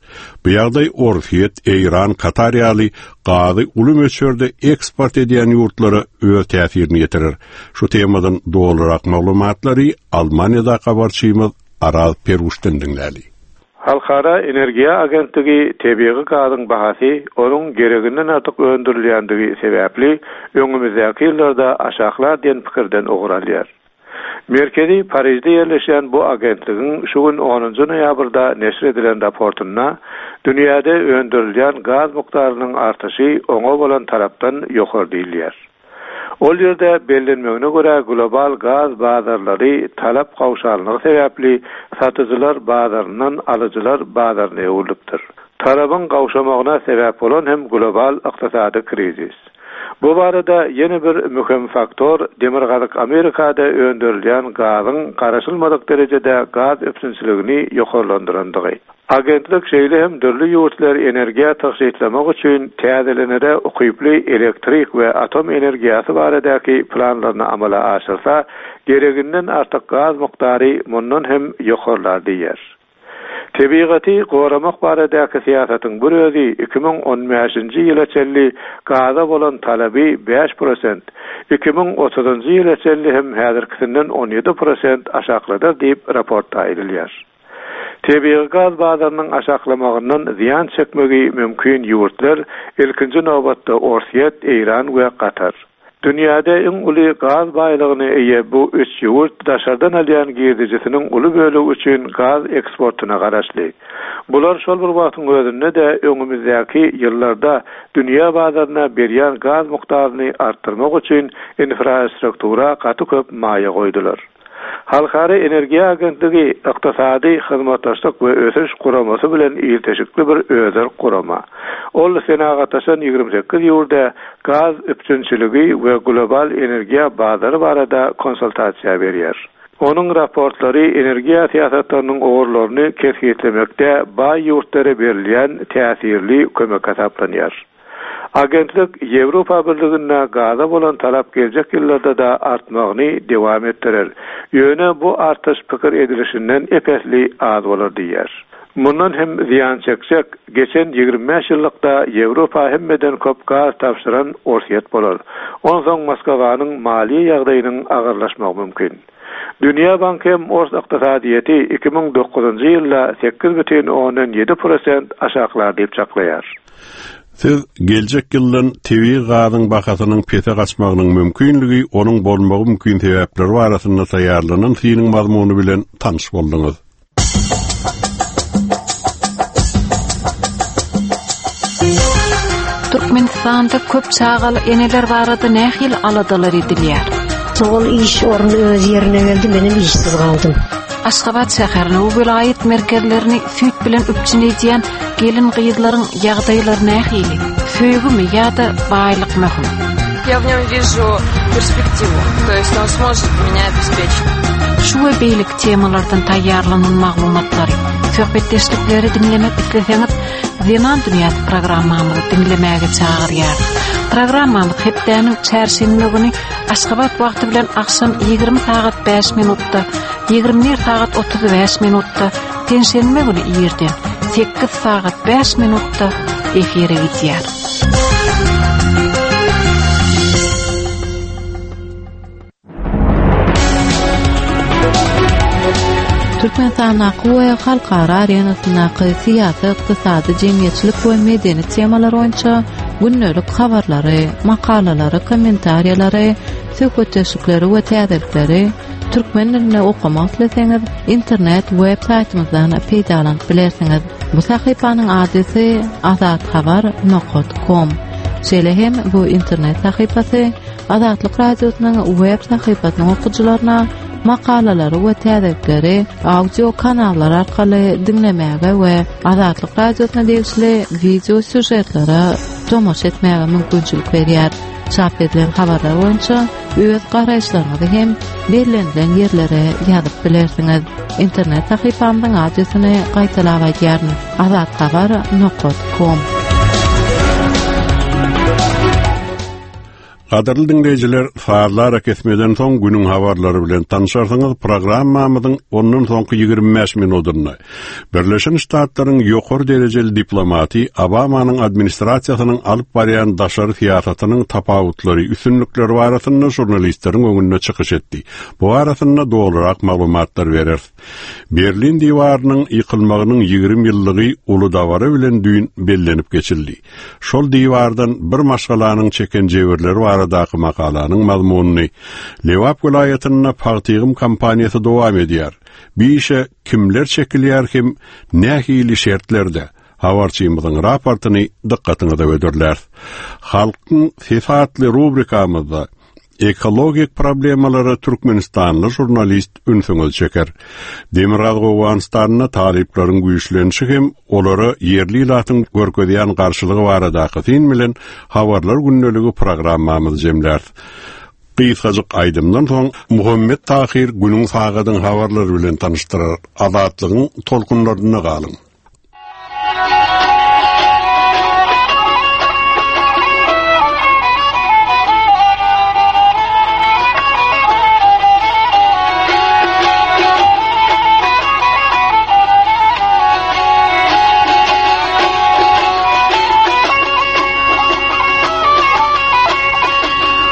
Bu ýagdaý Orsýet, Eýran, Katar ýaly gazy uly möçberde eksport edýän ýurtlara öz täsirini ýetirer. Şu temadan dolurak maglumatlary Almaniýadaky habarçymyz Araz Peruşdan diňläli. Halkara energiýa agentligi tebigy gazyň bahasy onuň gereginden artyk öndürilýändigi sebäpli öňümizdäki ýyllarda aşaklar diýen pikirden ugur alýar. Merkezi Parižde ýerleşýän bu agentligiň şu gün onunjy noýabrda neşir edilen raportynda dünýäde öndürilýän gaz mukdarynyň artyşy oňa bolan talapdan ýokary diýilýär. Ol ýerde bellenmegine görä, global gaz bazarlary talap gowşanlygy sebäpli satyjylar bazaryndan alyjylar bazaryna öwrülipdir. Talabyň gowşamagyna sebäp bolan hem global ykdysady krizis. Bu barada ýene bir möhüm faktor Demirgazyk Amerikada öndürilýän gazyň garaşylmadyk derejede gaz üpjünçiligini ýokarlandyrandygy. Agentlik şeýle hem dürli ýurtlar energiýa tygşytlamak üçin täzelenere ukyply elektrik we atom energiýasy baradaky planlaryny amala aşyrsa, gereginden artyk gaz mukdary mundan hem ýokarlar diýýär. Tebigaty goramak baradaky syýasatyň bir özi 2015-nji ýyla çenli gaza bolan talaby 5%, 2030-njy ýyla çenli hem häzirkisinden 17% aşakladar diýip, raportda aýdylýar. Tebigy gaz bazarynyň aşaklamagyndan zyýan çekmegi mümkin ýurtlar, ilkinji nobatda Orsýet, Eýran we Katar. Dünýäde iň uly gaz baýlygyna eýe bu üç ýurt daşardan alýan girdejisiniň uly bölegi üçin gaz eksportyna garaşly. Bular şol bir wagtyň özünde-de öňümizdäki ýyllarda dünýä bazaryna berýän gaz mukdaryny artdyrmak üçin infrastruktura gaty köp maýa goýdular. Halkara energiýa agentligi Ykdysady hyzmatdaşlyk we ösüş guramasy bilen ilteşikli bir özerk gurama. Ol senagatlaşan 28 ýurda gaz üpjünçiligi we global energiýa bazary barada konsultasiýa berýär. Onuň raportlary energiýa syýasatlarynyň ugurlaryny kesgitlemekde baý ýurtlara berilýän täsirli kömek hasaplanýar. Agentlik Ýewropa Birliginde gaza bolan talap geljek ýyllarda-da artmagyny dowam etdirer, ýöne bu artyş pikir edilişinden ep-esli az bolar diýýär. Mundan hem zyýan çekjek, geçen 25 ýyllykda Ýewropa hemmeden köp gaz tabşyran Orsýet bolar. Onsoň Moskawanyň maliýe ýagdaýynyň agyrlaşmagy mümkin. Dünýä Banky hem ors ykdysadyýeti 2009-njy ýylda 8,7 prosent aşaklar diýip çaklaýar. Siz geljek ýyldan tebigy gazyň bahasynyň pese gaçmagynyň mümkinligi, onuň bolmagy mümkin sebäpleri barasynda taýýarlanan synyň mazmuny bilen tanyş bolduňyz. Türkmenistanda köp çagaly eneler barada nähili aladalar edilýär? Ol iş orny öz ýerine geldi, menem işsiz galdym. Aşgabat şäherini we welaýat merkezlerini süýt bilen üpjün edýän gelin-gyzlaryň ýagdaýlary nähili? Söýgümi ýa-da baýlyk möhüm? Я в нем вижу перспективу, то есть он сможет меня обеспечить. Şu we beýleki temalardan taýýarlanan maglumatlary, söhbetdeşlikleri diňlemek isleseňiz, Zenan dünýäsi programmamyzy diňlemäge çagyrýarys. Programmamyz hepdäniň çärşenbe güni Aşgabat wagty bilen agşam 20 sagat 5 minutda, 21 sagat 35 minutda, penşenbe güni irden 8 sagat 5 minutda efire gidýär. Türkmenistandaky we halkara arenasyndaky syýasy, ykdysady, jemgyýetçilik we medeni temalar boýunça gündelik habarlary, makalalary, kommentariýalary, söhbetdeşlikleri we täzelikleri türkmen dilinde okamak isleseňiz, internet web saýtymyzdan peýdalanyp bilersiňiz. Bu sahypanyň adresi azathabar nokat kom. Şeýle hem bu internet sahypasy Azatlyk Radiosynyň web sahypasynyň okyjylaryna makalalary we täzelikleri audio kanallar arkaly diňlemäge we Azatlyk Radiosyna degişli wideo sýužetlere tomaşa etmäge mümkinçilik berýär. Çap edilen habarlar boýunça öz garaýyşlaryňyzy hem bellenilen ýerlere ýazyp bilersiňiz. Internet sahypamyzyň adresini gaýtalap aýdýaryn, azathabar nokat kom. Gadyrly diňleýjiler, sazly arakesmeden soň günüň habarlary bilen tanyşarsyňyz programmamyzyň ondan soňky 25 minudynda. Birleşen Ştatlaryň ýokary derejeli diplomaty Obamanyň administrasiýasynyň alyp barýan daşary syýasatynyň tapawutlary, üstünlikleri barasynda žurnalistleriň öňünde çykyş etdi. Bu barasynda dolurak maglumatlar bereris. Berlin diwarynyň ýykylmagynyň 20 ýyllygy uly dabara bilen düýn bellenip geçildi. Şol diwardan bir maşgalanyň çeken jebirleri baradaky makalanyň mazmunyny Lebap welaýatynda pagta ýygym kampaniýasy dowam edýär. Bu işe kimler çekilýär hem nähili şertlerde? Habarçymyzyň raportyny dykgatyňyza hödürläris. Halkyň sesi atly rubrikamyzda Ekologik problemalara türkmenistanly žurnalist ünsüňizi çeker. Demirgazyk Owganystanda talyplaryň güýçlenişi hem olara ýerli ilatyň görkezýän garşylygy baradaky syn bilen Habarlar gündeligi programmamyzy jemläris. Gysgajyk aýdymdan soň Muhammet Tahyr günüň sagadyň habarlary bilen tanyşdyrar. Azatlygyň tolkunlarynda galyň.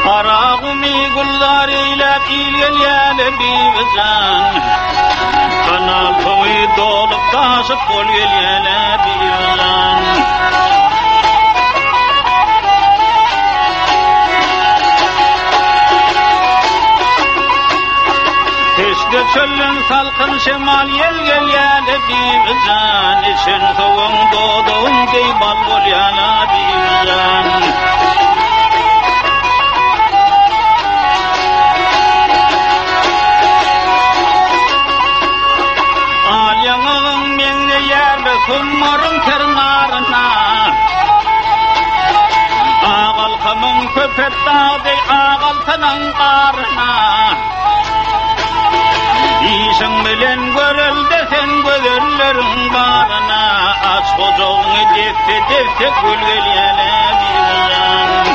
Garagumy gülzar eýläp il gelýäle bibijan. Kanal suwy dolup daşyp bol gelýäle bibijan. Peşde çölden salkyn şemal ýel gelýäle bibijan. Içen suwuň dodagyň deý bal bolýala bibijan. Al ýaňagyň meňzeýärle summaryň ter naryna. Agalkamyň köpet dag deý agaltanyň garyna. Işiň bilen görelde sen gözelleriň baryna. Aç gujagyňy desse-desse gül gelýäle bibijan.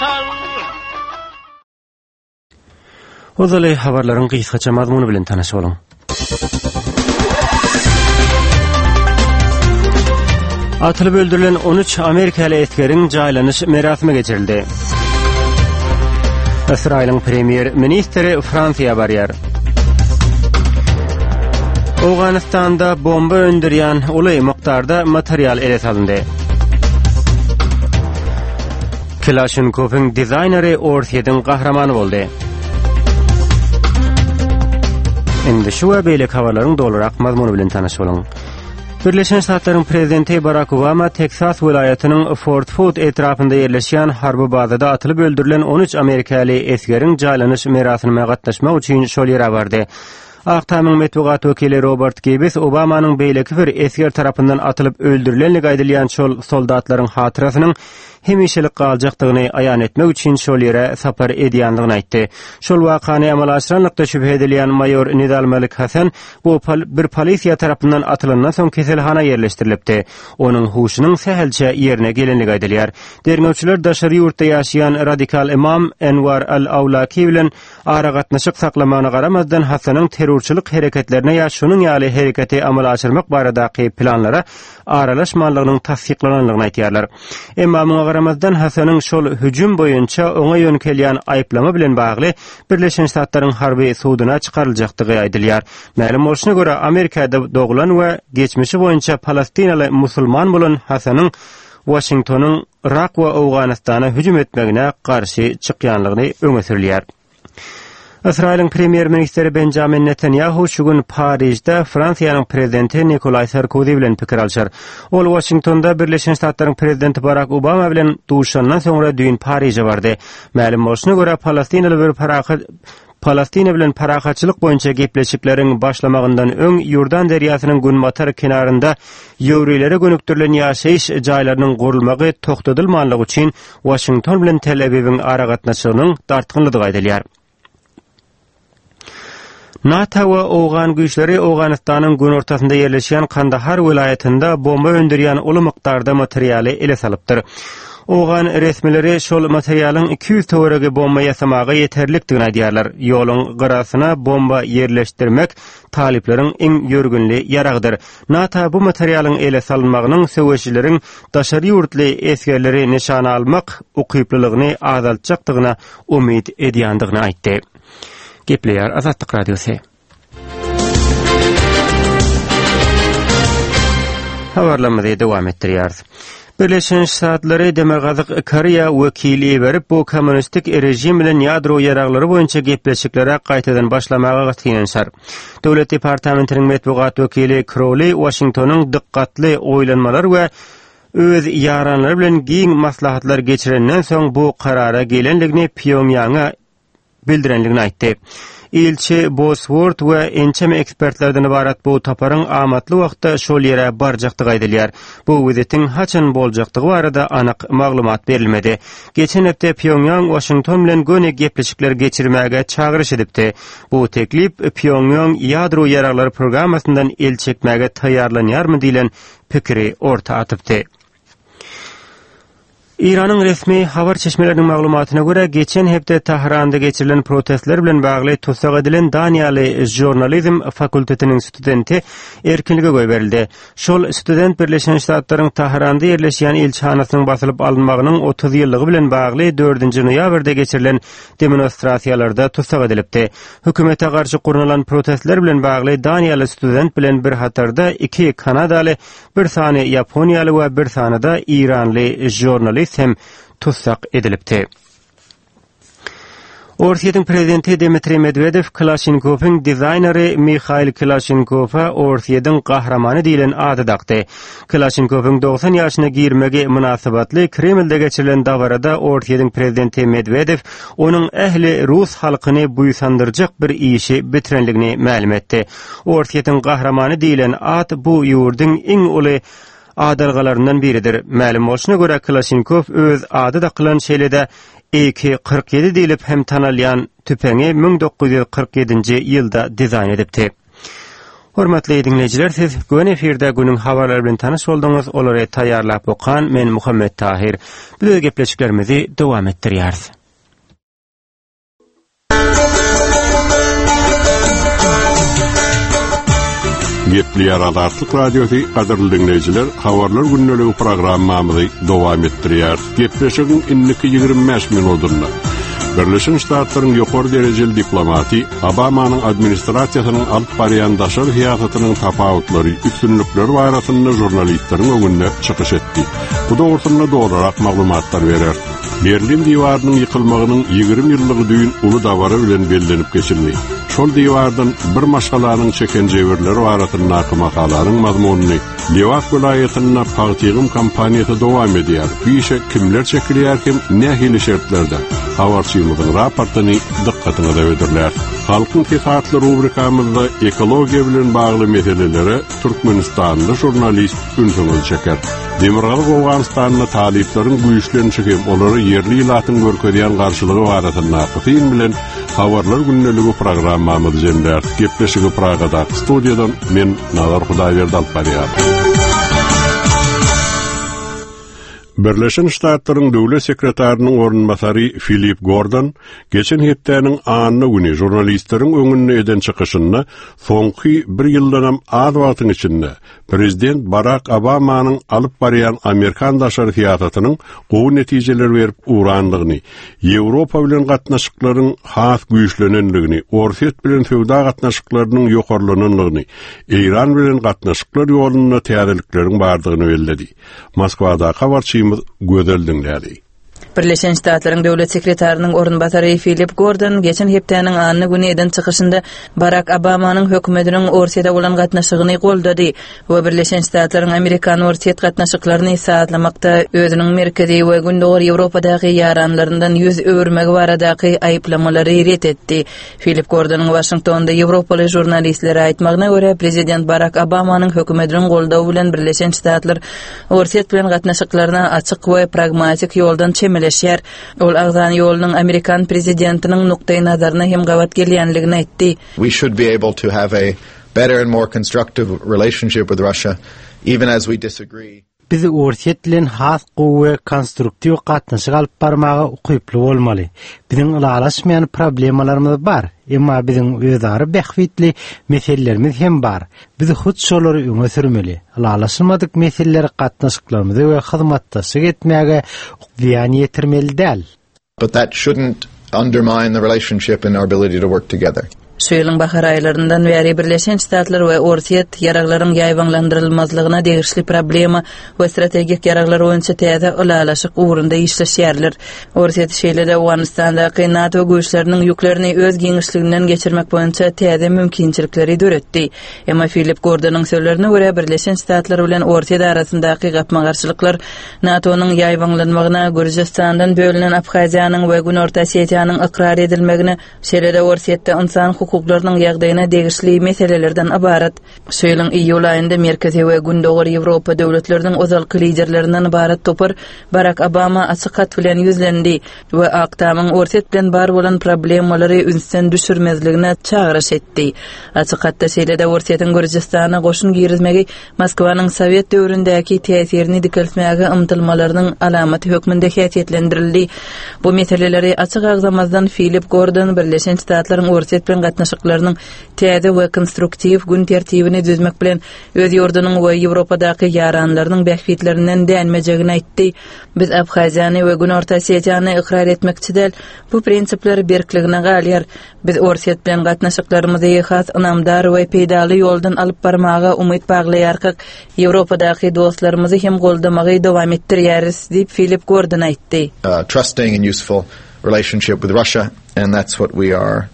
ýaraşar. Ozaly habarlaryň gysgaça mazmuny bilen tanyş boluň. Atylyp öldürilen 13 amerikaly esgeriň jaýlanyş merasimi geçirildi. Ysraýylyň premýer ministri Fransiýa barýar. Owganystanda bomba öndürýän uly mukdarda material ele salyndy. Kilaşinkowyň dizaýneri Orsýetiň gahrymany boldy. Indi şu we beýleki habarlaryň dolurak mazmuny bilen tanyş boluň. Birleşen Ştatlaryň prezidenti Barak Obama Teksas welaýatynyň Fort Hood etrapynda ýerleşýän harby bazada atylyp öldürilen 13 amerikaly esgeriň jaýlanyş merasimine gatnaşmak üçin şol ýere bardy. Ak Tamyň metbugat wekili Robert Gibbs Obamanyň beýleki bir esger tarapyndan atylyp öldürilenligi aýdylýan şol soldatlaryň hatyrasynyň hemişelik galjakdygyny aýan etmek üçin şol ýere sapar edýändigini aýtdy. Şol wakany amala aşyranlykda şübhe edilýän maýor Nidal Malik Hasan bu bir polisiýa tarapyndan atylandan soň keselhana ýerleşdirilipdi. Onuň huşunyň sähelçe ýerine gelenligi aýdylýar. Derňewçiler daşary ýurtda ýaşaýan radikal ymam Enwar al-Awlaki bilen Aragatnaşyk saklamagyna garamazdan, Hasanyň terrorçylyk hereketlerine ýa şunuň ýaly hereketi amala aşyrmak baradaky planlara aralaşmanlygynyň tassyklananlygyny aýdýarlar. Emma muňa garamazdan, Hasanyň şol hüjüm boýunça oňa ýöňkelýän aýyplama bilen bagly Birleşen Ştatlaryň harby suduna çykaryljakdygy aýdylýar. Mälim bolşuna görä, Amerikada doglan we geçmişi boýunça palestinaly musulman bolan Hasanyň Waşingtonyň Yrak we Owganystana hüjüm etmegine garşy çykýanlygyny öňe sürülýär. Ysraýylyň premýer-ministri Benjamin Netanýahu şu gün Parižde Fransiýanyň prezidenti Nikolaý Sarkozy bilen pikir alşar. Ol Waşingtonda Birleşen Ştatlaryň prezidenti Barak Obama bilen duşandan soňra düýn Pariže bardy. Mälim bolşuna görä, palestinaly bir parahat Palestina bilen parahatçylyk boýunça gepleşikleriň başlamagyndan öň Iordan derýasynyň günbatar kenarynda ýewreýlere gönükdirilen ýaşaýyş jaýlarynyň gurulmagy togtadylmanlygy üçin Waşington bilen Tel-Awiwiň aragatnaşygynyň dartgynlydygy aýdylýar. NATO we owgan güýçleri Owganystanyň günortasynda ýerleşýän Kandahar welaýatynda bomba öndürýän uly mukdarda materialy ele salypdyr. Owgan resmileri şol materialyň 200 töweregi bomba ýasamaga ýeterlikdigini aýdýarlar. Ýoluň gyrasyna bomba ýerleşdirmek talyplaryň iň ýörgünli ýaragydyr. NATO bu materialyň ele salynmagynyň söweşijileriň daşary ýurtly esgerleri nyşana almak ukyplylygyny azaltjakdygyna umyt edýändigini aýtdy. Gepleýär Azatlyk Radiosy. Habarlarymyzy dowam etdirýäris. Birleşen Ştatlary Demirgazyk Koreýa wekil iberip, bu kommunistik režim bilen ýadro ýaraglary boýunça gepleşiklere gaýtadan başlamaga synanyşar. Döwlet departamentiniň metbugat wekili Krowli Waşingtonyň dykgatly oýlanmalar we öz ýaranlary bilen giň maslahatlar geçirenden soň bu karara gelendigini Pýongýanga bildirendigini aýtdy. Ilçi Boswort we ençeme ekspertlerden ybarat bu toparyň amatly wagtda şol ýere barjakdygy aýdylýar. Bu wizitiň haçan boljakdygy barada anyk maglumat berilmedi. Geçen hepde Pýongýang Waşington bilen göni gepleşikler geçirmäge çagyryş edipdi. Bu teklip Pýongýang ýadro ýaraglary programmasyndan el çekmäge taýýarlanýarmy diýlen pikiri orta atypdy. Eýranyň resmi habar çeşmeleriniň maglumatyna görä, geçen hepde Tähranda geçirilen protestler bilen bagly tussag edilen daniýaly žurnalizm fakultetiniň studenti erkinlige goýberildi. Şol student Birleşen Ştatlaryň Tähranda ýerleşýän ilçihanasynyň basylyp alynmagynyň 30 ýyllygy bilen bagly dördünji noýabrda geçirilen demonstrasiýalarda tussag edilipdi. Hökümete garşy gurnalan protestler bilen bagly daniýaly student bilen bir hatarda iki kanadaly Bir sany ýaponiýaly we bir sany-da eýranly žurnalist hem tussag edilipdi. Orsýetiň prezidenti Dmitriý Medwedew Kalaşnikowyň dizaýneri Mihail Kalaşnikowa Orsýetiň gahrymany diýlen ady dakdy. Kalaşnikowyň 90 ýaşyna girmegi mynasybetli Kremlde geçirilen dabarada Orsýetiň prezidenti Medwedew onuň ähli rus halkyny buýsandyrjak bir işi bitirenligini mälim etdi. Orsýetiň gahrymany diýlen at bu ýurduň iň uly adalgalaryndan biridir. Mälim bolşuna görä, Kalaşnikow öz ady dakylan şeýle-de AK 47 diýlip hem tanalýan tüpeňi 1947-nji ýylda dizaýn edipdi. Hormatly diňleýjiler, siz göni efirde günüň habarlary bilen tanyş bolduňyz. Olary taýýarlap okan men Muhammet Tahyr. Biz öz gepleşiklerimizi dowam etdirýäris. Gepleýär Azatlyk Radiosy, gadyrly diňleýjiler, habarlar gündeligi programmamyzy dowam etdirýär. Gepleşigiň indiki 25 minutynda Birleşen Ştatlaryň ýokary derejeli diplomaty Obamanyň administrasiýasynyň alyp barýan daşary syýasatynyň tapawutlary, üstünlikleri barasynda žurnalistleriň öňünde çykyş etdi. Bu dogrusynda dolurak maglumatlar berer. Berlin diwarynyň ýykylmagynyň 20 ýyllygy düýn uly dabara bilen bellenip geçildi. Şol diwardan bir maşgalanyň çeken jebirleri barasyndaky makalanyň mazmunyny Lebap welaýatynda pagta ýygym kampaniýasy dowam edýär. Bu işe kimler çekilýär hem nähili şertlerde? Habarçymyzyň raportyny dykgatyňyza hödürläris. Halkyň sesi atly rubrikamyzda ekologiýa bilen bagly meselelere türkmenistanly žurnalist ünsüňizi çeker. Demirgazyk Owganystanda talyplaryň güýçlenişi hem olara ýerli ilatyň görkezýän garşylygy barasyndaky syn bilen Habarlar gündeligi programmamyzy jemläris. Gepleşigi Pragadaky studiýadan men Nazar Hudaýberdi alyp barýar. Birleşen Ştatlaryň Döwlet sekretarynyň orunbasary Filip Gordon geçen hepdäniň anna güni žurnalistleriň öňünde eden çykyşynda soňky bir ýyldanam az wagtyň içinde Prezident Barak Obamanyň alyp barýan amerikan daşary syýasatynyň gowy netijeler berip ugrandygyny, Ýewropa bilen gatnaşyklaryň has güýçlenendigini, Orsýet bilen söwda gatnaşyklarynyň ýokarlanandygyny, Eýran bilen gatnaşyklar ýolunda täzelikleriň bardygyny belledi. Moskwadaky habarçymyz Gözel diňläli. Birleşen Ştatlaryň Döwlet sekretarynyň orunbasary Filip Gordon geçen hepdäniň anna güni eden çykyşynda Barak Obamanyň hökümetiniň Orsýete bolan gatnaşygyny goldady we Birleşen Ştatlaryň amerikan-orsýet gatnaşyklaryny sazlamakda özüniň Merkezi we Gündogar Ýewropadaky ýaranlaryndan ýüz öwürmegi baradaky aýyplamalary ret etdi. Filip Gordonyň Waşingtonda ýewropaly žurnalistlere aýtmagyna görä, prezident Barak Obamanyň hökümetiniň goldawy bilen Birleşen Ştatlar Orsýet bilen gatnaşyklaryna açyk we pragmatik ýoldan çemeleşýär. Ol agzan ýolunyň amerikan prezidentiniň nukdaýnazaryna hem gabat gelýänligini aýtdy. We should be able to have a better and more constructive relationship with Russia, even as we disagree. Biz Orsýet bilen has gowy we konstruktiw gatnaşyk alyp barmaga ukyply bolmaly. Biziň ylalaşmaýan problemalarymyz bar, emma biziň özara bähbitli meselelerimiz hem bar. Biz hut şolary öňe sürmeli. Ylalaşylmadyk meseleler gatnaşyklarymyza we hyzmatdaşlyk etmäge zyýan ýetirmeli däl. But that shouldn't undermine the relationship and our ability to work together. Şu ýylyň bahar aýlaryndan bäri Birleşen Ştatlar we Orsýet ýaraglaryň ýaýbaňlandyrylmazlygyna degişli problema we strategik ýaraglar boýunça täze ylalaşyk ugrunda işleşýärler. Orsýet şeýle-de Owganystandaky NATO güýçleriniň ýüklerini öz giňişliginden geçirmek boýunça täze mümkinçilikleri döretdi. Emma Filip Gordonyň sözlerine görä, Birleşen Ştatlar bilen Orsýet arasyndaky gapma-garşylyklar NATO-nyň ýaýbaňlanmagyna, Gürjüstandan bölünen Abhaziýanyň we Günorta Osetiýanyň ykrar edilmegine, şeýle-de Orsýetde ynsan hukuklarynyň ýagdaýyna degişli meselelerden ybarat. Şu ýylyň iýul aýynda Merkezi we Gündogar Ýewropa döwletleriniň ozalky liderlerinden ybarat topar Barak Obama açyk hat bilen ýüzlendi we Ak Tamyň Orsýet bilen bar bolan problemalary ünsden düşürmezligine çagyryş etdi. Açyk hatda şeýle-de Orsýetiň Gürjüstana goşun girizmegi Moskwanyň sowet döwründäki täsirini dikeltmäge ymtylmalarynyň alamaty hökmünde häsiýetlendirildi. Bu meseleleri açyk agzamazdan Filip Gordon Birleşen Ştatlaryň Orsýet bilen gatnaşyklarynyň täze we konstruktiw gün tertibini düzmek bilen öz ýurdunyň we Ýewropadaky ýaranlarynyň bähbitlerinden dänmejegini aýtdy. Biz Abhaziýany we Günorta Osetiýany ykrar etmekçi däl, bu prinsipler berkligine galýar. Biz Orsýet bilen gatnaşyklarymyzy has ynamdar we peýdaly ýoldan alyp barmaga umyt baglaýarkak, Ýewropadaky dostlarymyzy hem goldamagy dowam etdirýäris, diýip, Filip Gordon aýtdy. trusting and useful relationship with Russia and that's what we are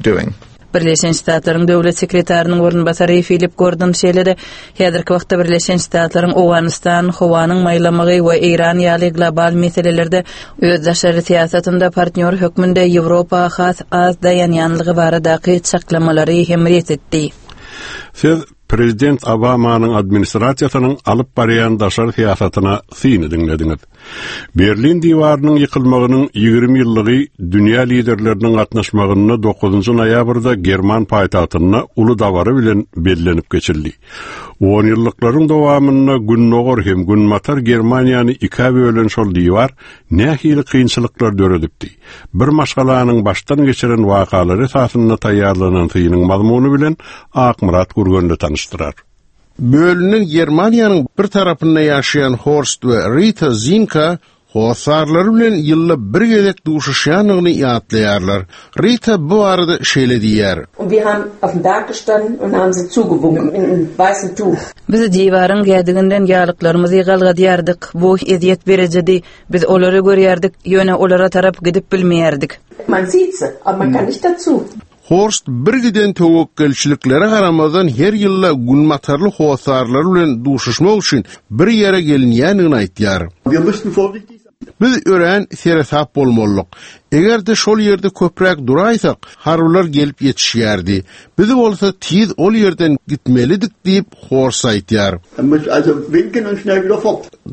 doing. Birleşen Ştatlaryň Döwlet sekretarynyň orunbasary Filip Gordon şeýle-de häzirki wagtda Birleşen Ştatlaryň Owganystan, howanyň maýlamagy we Eýran ýaly global meselelerde öz daşary syýasatynda partnýor hökmünde Ýewropa has az daýanýanlygy baradaky çaklamalary hem ret etdi. Siz. Prezident Obamanyň administrasiýasynyň alyp barýan daşary syýasatyna syny diňlediňiz. Berlin diwarynyň ýykylmagynyň 20 ýyllygy dünýä liderleriniň gatnaşmagynda 9 noýabrda german paýtagtynda uly dabara bilen bellenip geçildi. Onýyllyklaryň dowamynda Gündogar hem Günbatar Germaniýany ikä bölen şol diwar nähili kynçylyklar döredipdi? Bir maşgalanyň başdan geçiren wakalary esasynda taýýarlanan synyň mazmuny bilen Akmyrat Gürgenli tanyşdyrar. Bölünen Germaniýanyň bir tarapynda ýaşaýan Horst we Rita Zinka hossarlary bilen ýylda bir gezek duşuşýandygyny ýatlaýarlar. Rita bu barada şeýle diýýär. Und wir haben auf dem Berg gestanden und haben sie zugewunken mit einem weißen Tuch. Biz diwaryň gädiginden ýalyklarymyzy galgadýardyk. Bu ezýet berijidi. Biz olary görýärdik, ýöne olara tarap gidip bilmeýärdik. Man sieht sie, aber man kann nicht dazu. Horst birgiden töwekgelçiliklere garamazdan her ýylda günbatarly hossarlary bilen duşuşmak üçin bir ýere gelinýändigini aýtýar. Biz örän seresap bolmalydyk. Eger-de şol ýerde köpräk duraýsak, harbylar gelip ýetişýärdi. Biz bolsa tiz ol ýerden gitmelidik diýip, Horst aýtýar.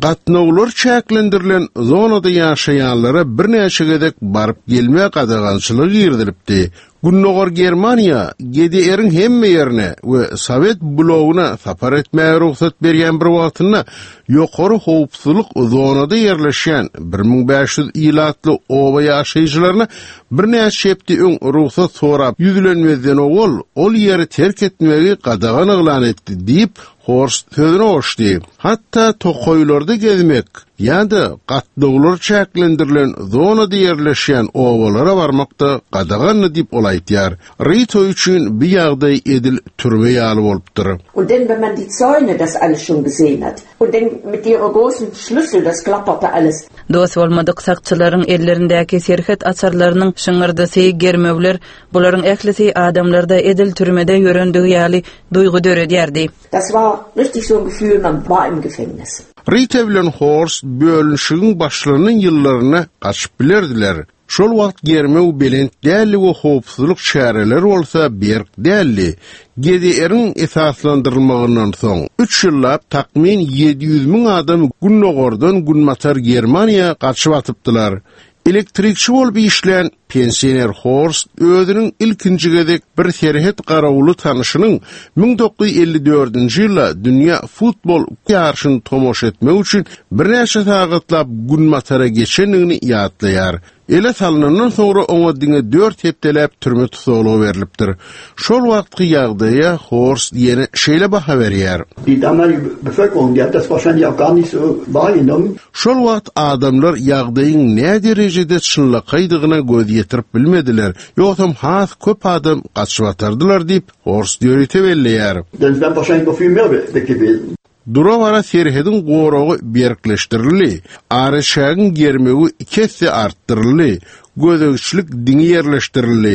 Gatnawlar çäklendirilen zonada ýaşaýanlara birnäçe gezek baryp-gelme gadagançylygy girizilipdi. Gündogar Germaniýa GDR-iň hemme ýerine we Sowet blogyna sapar etmäge rugsat berýän bir wagtynda ýokary howpsuzlyk zonada ýerleşýän 1500 ilatly oba ýaşaýjylaryna birnäçe hepde öň rugsat sorap ýüzlenmezden owal ol ýeri terk etmegi gadagan yglan etdi diýip, Horst sözüne goşdy. Hatda tokaýlarda gezmek ýa-da gatnawlar çäklendirilen zonada ýerleşýän obalara barmak-da gadagandy diýip ol aýdýar. Rito üçin bu ýagdaý edil türme ýaly bolupdyr. Und denn wenn man die Zäune das alles schon gesehen hat und denn mit ihrer großen Schlüssel das klapperte alles. Dost bolmadyk sakçylaryň ellerindäki serhet açarlarynyň şyňyrdysy, germewler, bularyň ählisi adamlarda edil türmede ýörendigi ýaly duýgy döredýärdi. Das war richtig so ein Gefühl, man war im Gefängnis. Rita bilen Horst bölünişigiň başlanan ýyllarynda gaçyp bilerdiler. Şol wagt germew belent däldi we howpsuzlyk çäreleri bolsa berk däldi. GDR-iň esaslandyrylmagyndan soň, üç ýyllap takmyn 700 müň adam gündogardan günbatar Germaniýa gaçyp atypdylar. Elektrikçi bolup işlän pensioner Horst özüniň ilkinji gezek bir serhet garawuly tanyşynyň 1954-nji ýylda dünýä futbol ýaryşyny tomaşa etmek üçin birnäçe sagatlap günbatara geçendigini ýatlaýar. Ele salnandan soňra oňa diňe dört hepdeläp türme tussaglygy berlipdir. Şol wagtky ýagdaýa Horst ýene şeýle baha berýär. Die damalige Bevölkerung, die hat das wahrscheinlich auch gar nicht so wahrgenommen. Şol wagt adamlar ýagdaýyň näderejede çynlakaýdygyna göz ýetirip bilmediler, ýogsam has köp adam gaçyp atardylar diýip, Horst ýörite belleýär. Denn es wären wahrscheinlich noch viel mehr weg gewesen. Dura-bara serhediň goragy berkleşdirildi, araçägiň germewi iki esse artdyryldy, gözegçilik diňi ýerleşdirildi,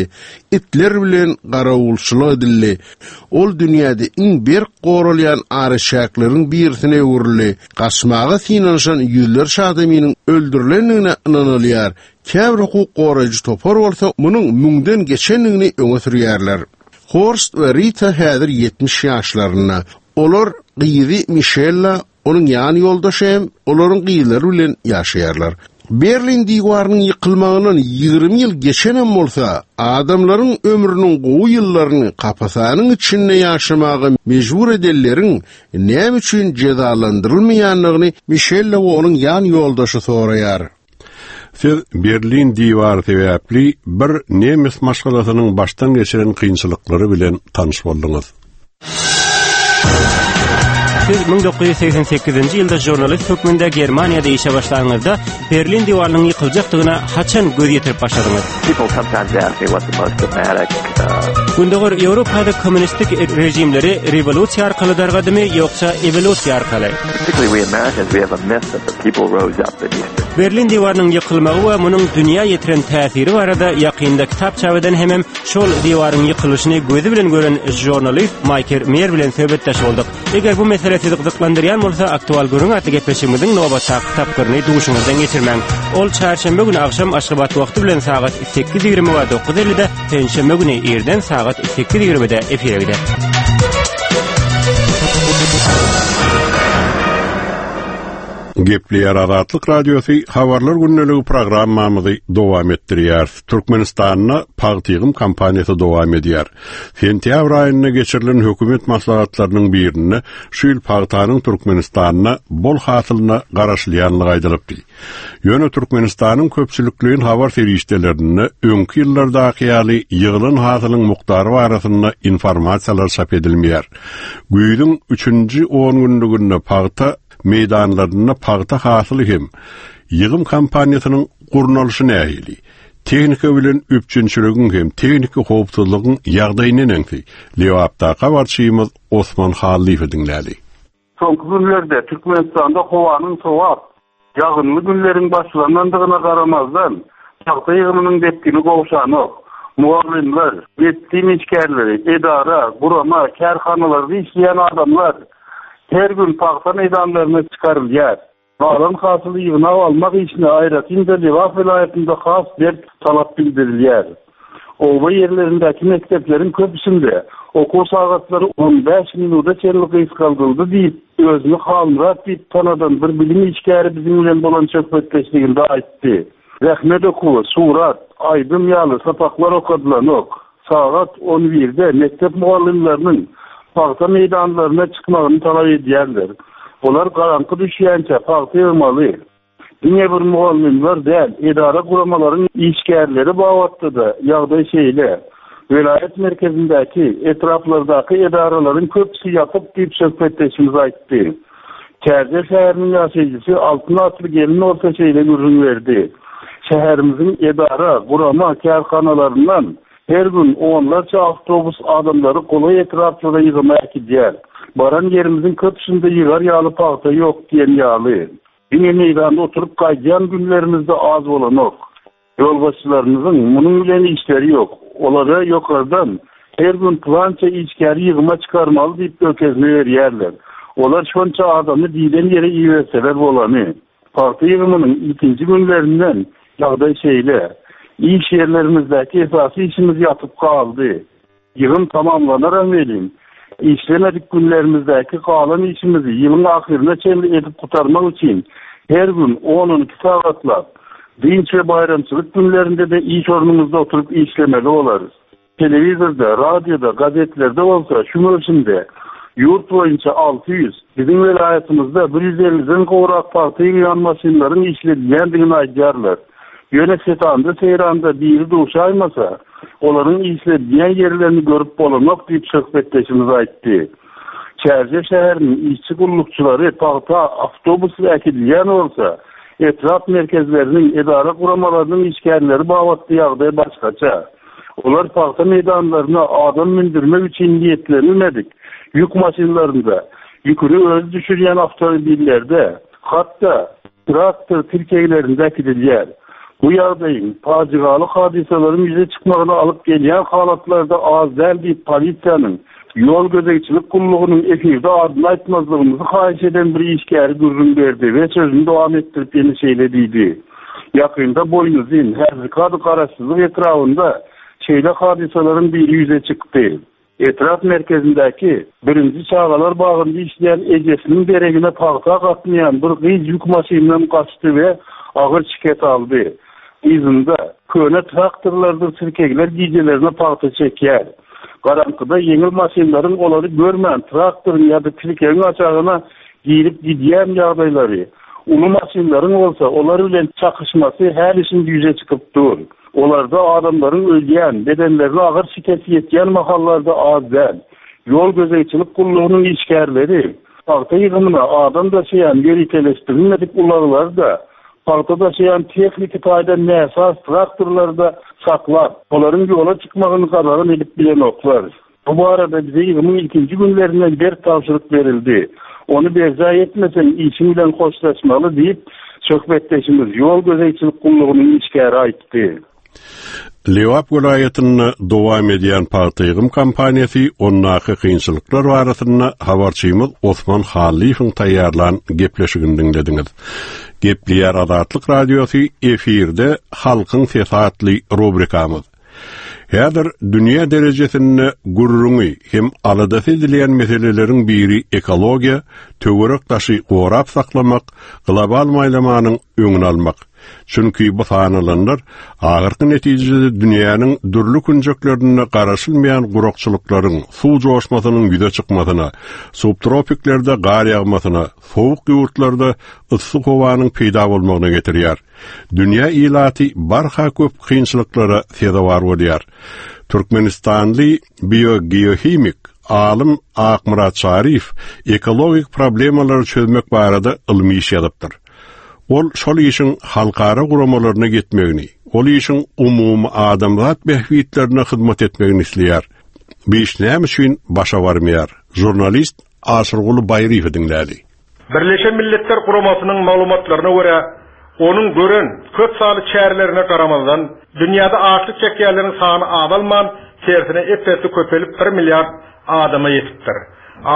itler bilen garawulçylyk edildi. Ol dünýäde iň berk goralýan araçäkleriň birisine öwrüldi. Gaçmaga synanyşan ýüzlerçe adamynyň öldürilendigine ynanylýar, käbir hukuk goraýjy topar bolsa munuň müňden geçendigini öňe sürýärler. Horst we Rita häzir 70 ýaşlarynda. Olar gyzy Mişella, onuň ýan ýoldaşy hem olaryň gyzlary bilen ýaşaýarlar. Berlin diwarynyň ýykylmagyndan 20 ýyl geçenem bolsa, adamlaryň ömrüniň gowy ýyllaryny kapasanyň içinde ýaşamaga mejbur edenleriň näme üçin jezalandyrylmaýandygyny Mişella we onuň ýan ýoldaşy soraýar. Siz Berlin diwary sebäpli bir nemes maşgalasynyň başdan geçiren kynçylyklary bilen tanyş bolduňyz. Siz 1988-nji ýylda žurnalist hökmünde Germaniýada işe başlanyňyzda Berlin diwarynyň ýykyljakdygyna haçan göz ýetirip başladyňyz? Gündogar Ýewropada kommunistik režimleri rewolýusiýa arkaly dargadymy ýoksa ewolýusiýa arkaly? Berlin diwarynyň ýykylmagy we munuň dünýä ýetiren täsiri barada ýakynda kitap çap eden hemem şol diwaryň ýykylyşyny gözi bilen gören žurnalist Maýker Meýer bilen söhbetdeş bolduk. Eger bu mesele sizi gyzyklandyrýan bolsa, Aktual gürrüň atly gepleşigimiziň nobatdaky tapgyryny duşuňyzdan geçirmäň. Ol çarşenbe güni agşam Aşgabat wagty bilen sagat 8:20 we 9:50-de, penşenbe güni irden sagat 8:20-de efire gider. Gepleýär Azatlyk Radiosy Habarlar gündeligi programmamyzy dowam etdirýäris. Türkmenistanda pagta ýygym kampaniýasy dowam edýär. Sentýabr aýynda geçirilen hökümet maslahatlarynyň birinde şu ýyl pagtanyň Türkmenistanda bol hasylyna garaşylýandygy aýdylypdy. Ýöne Türkmenistanyň köpçülikleýin habar serişdelerinde öňki ýyllardaky ýaly ýygylan hasylyň mukdary barasynda informasiýalar çap edilmeýär. Güýzüň üçünji on günlüginde pagta meýdanlarynda pagta hasyly hem ýygym kampaniýasynyň gurnalyşy nähili? Tehnika bilen üpjünçiligiň hem tehniki howpsuzlygyň ýagdaýy neneňsi? Lebapdaky habarçymyz Osman Hallyýewi diňläli. Soňky günlerde Türkmenistanda howanyň sowap, ýagynly günleriň başlanandygyna garamazdan, pagta ýygymynyň depgini gowşanok. Mugallymlar, medisina işgärleri, edara, gurama, kärhanalarda işleýän adamlar her gün pagta meýdanlaryna çykarylýar. Galan hasyly ýygnap almak işine aýratyn-da Lebap welaýatynda has berk talap bildirilýär. Oba ýerlerindäki mekdepleriň köpüsinde okuw sagatlary 15 minuda çenli gysgaldyldy diýip, özüni Halmyrat diýip tanadan bir bilim işgäri biziň bilen bolan söhbetdeşliginde aýtdy. Zähmet okuwy, surat, aýdym ýaly sapaklar okadylanok. Sagat on birde mekdep mugallymlarynyň pagta meýdanlaryna çykmagyny talap edýärler. Olar garaňky düşýänçä pagta ýygmaly. Diňe bir mugallymlar däl, edara-guramalaryň işgärleri babatda-da ýagdaý şeýle. Welaýat merkezindäki, etraplardaky edaralaryň köpüsi ýapyk diýip söhbetdeşimiz aýtdy. Täze şäheriniň ýaşaýjysy Altyn atly gelin bolsa şeýle gürrüň berdi, Şäherimiziň edara, gurama, kärhanalaryndan her gün onlarça awtobus adamlary golaý etraplara ýygyma äkidýär. Baran ýerimiziň köpüsinde ýygar ýaly pagta ýok diýen ýaly. Diňe meýdanda oturyp gaýdýan günlerimizde az bolanok. Ýolbaşçylarymyzyň munuň bilen işleri ýok. Olara ýokardan her gün pylança işgäri ýygyma çykarmaly diýip görkezme berýärler. Olar şonça adamy diýlen ýere iberseler bolany. Pagta ýygymynyň ilkinji günlerinden ýagdaý şeýle. Iş ýerlerimizdäki esasy işimiz ýatyp galdy. Ýygym tamamlanaram welin, işlemedik günlerimizdäki galan işimizi ýylyň ahyryna çenli edip gutarmak üçin her gün on-on iki sagatlap, dynç we baýramçylyk günlerinde-de iş ornumyzda oturyp işlemeli bolarys. Telewizorda, radioda, gazetlerde bolsa şu möwsümde ýurt boýunça 600, biziň welaýatymyzda bir ýüz elliden gowrak pagta ýygýan maşynlaryň işledilýändigini aýdýarlar. Ýöne setanda-seýranda biri duşaýmasa, olaryň işledilýän ýerlerini görüp bolanok diýip, söhbetdeşimiz aýtdy. Çärjew şäheriniň işçi gullukçylary pagta awtobusly äkidilýän bolsa, etrap merkezleriniň, edara-guramalarynyň işgärleri babatda ýagdaý başgaça. Olar pagta meýdanlaryna adam mündürmek üçin niýetlenilmedik ýük maşynlarynda, ýüküni özi düşürýän awtomobillerde, hatda traktor tirkeglerinde äkidilýär. Bu ýagdaýyň pajygaly hadysalaryň ýüze çykmagyna alyp gelýän halatlar-da az däl diýip, polisiýanyň ýol gözegçilik gullugynyň efirde adyny aýtmazlygymyzy haýyş eden bir işgäri gürrüň berdi we sözüni dowam etdirip ýene şeýle diýdi, Ýakynda Boýnuzyn, häzirki ady Garaşsyzlyk etrabynda şeýle hadysalaryň biri ýüze çykdy. Etrap merkezindäki birinji çagalar bagynda işleýän ejesiniň deregine pagta gatnaýan bir gyz ýük maşynyndan gaçdy we agyr şikes aldy. Yzynda köne traktorlardyr tirkegler gijelerine pagta çekýär. Garaňkyda ýeňil maşynlaryň olary görmän traktoryň ýa-da tirkegiň aşagyna girip gidýän ýagdaýlary, uly maşynlaryň bolsa olar bilen çakyşmasy häli-şindi ýüze çykyp dur. Olarda adamlaryň ölýän, bedenlerine agyr şikes ýetýän mahallary-da az däl. Ýol gözegçilik gullugynyň işgärleri pagta ýygymyna adam daşaýan ýöriteleşdirilmedik ulaglary-da, pagta daşaýan tehniki taýdan näsaz traktorlary-da saklap, olaryň ýola çykmagyny gadagan edip bilenoklar. Bu barada bize ýygymyň ilkinji günlerinden berk tabşyryk berildi. Ony berjaý etmeseň, işiň bilen hoşlaşmaly diýip, söhbetdeşimiz, ýol gözegçilik gullugynyň işgäri aýtdy. Lebap welaýatynda dowam edýän pagta ýygym kampaniýasy, ondaky kynçylyklar barasynda habarçymyz Osman Hallyýewiň taýýarlan gepleşigini diňlediňiz. Gepleýär Azatlyk Radiosy, efirde Halkyň sesi atly rubrikamyz. Häzir dünýä derejesinde gürrüňi hem aladasy edilýän meseleleriň biri ekologiýa, töwerek-daşy gorap saklamak, global maýlamanyň öňüni almak. Çünki bu sanalanlar ahyrky netijede dünýäniň dürli künjeklerinde garaşylmaýan gurakçylyklaryň, suw joşmasynyň ýüze çykmasyna, subtropiklerde gar ýagmasyna, sowuk ýurtlarda yssy howanyň peýda bolmagyna getirýär. Dünýä ilaty barha köp kynçylyklara sezewar bolýar. Türkmenistanly biogeohimik alym Akmyrat Çaryýew ekologik problemalary çözmek barada ylmy iş ýazypdyr. Ol şol işiň halkara guramalaryna ýetmegini, ol işiň umumy adamzat bähbitlerine hyzmat etmegini isleýär. Bu iş näme üçin başa barmaýar? Žurnalist Aşyrguly Baýryýewi diňläli. Birleşen Milletler Guramasynyň maglumatlaryna görä, onuň gören köp sanly çärelerine garamazdan, dünýäde açlyk çekýänleriň sany azalman, tersine ep-esli köpelip bir milliard adama ýetipdir.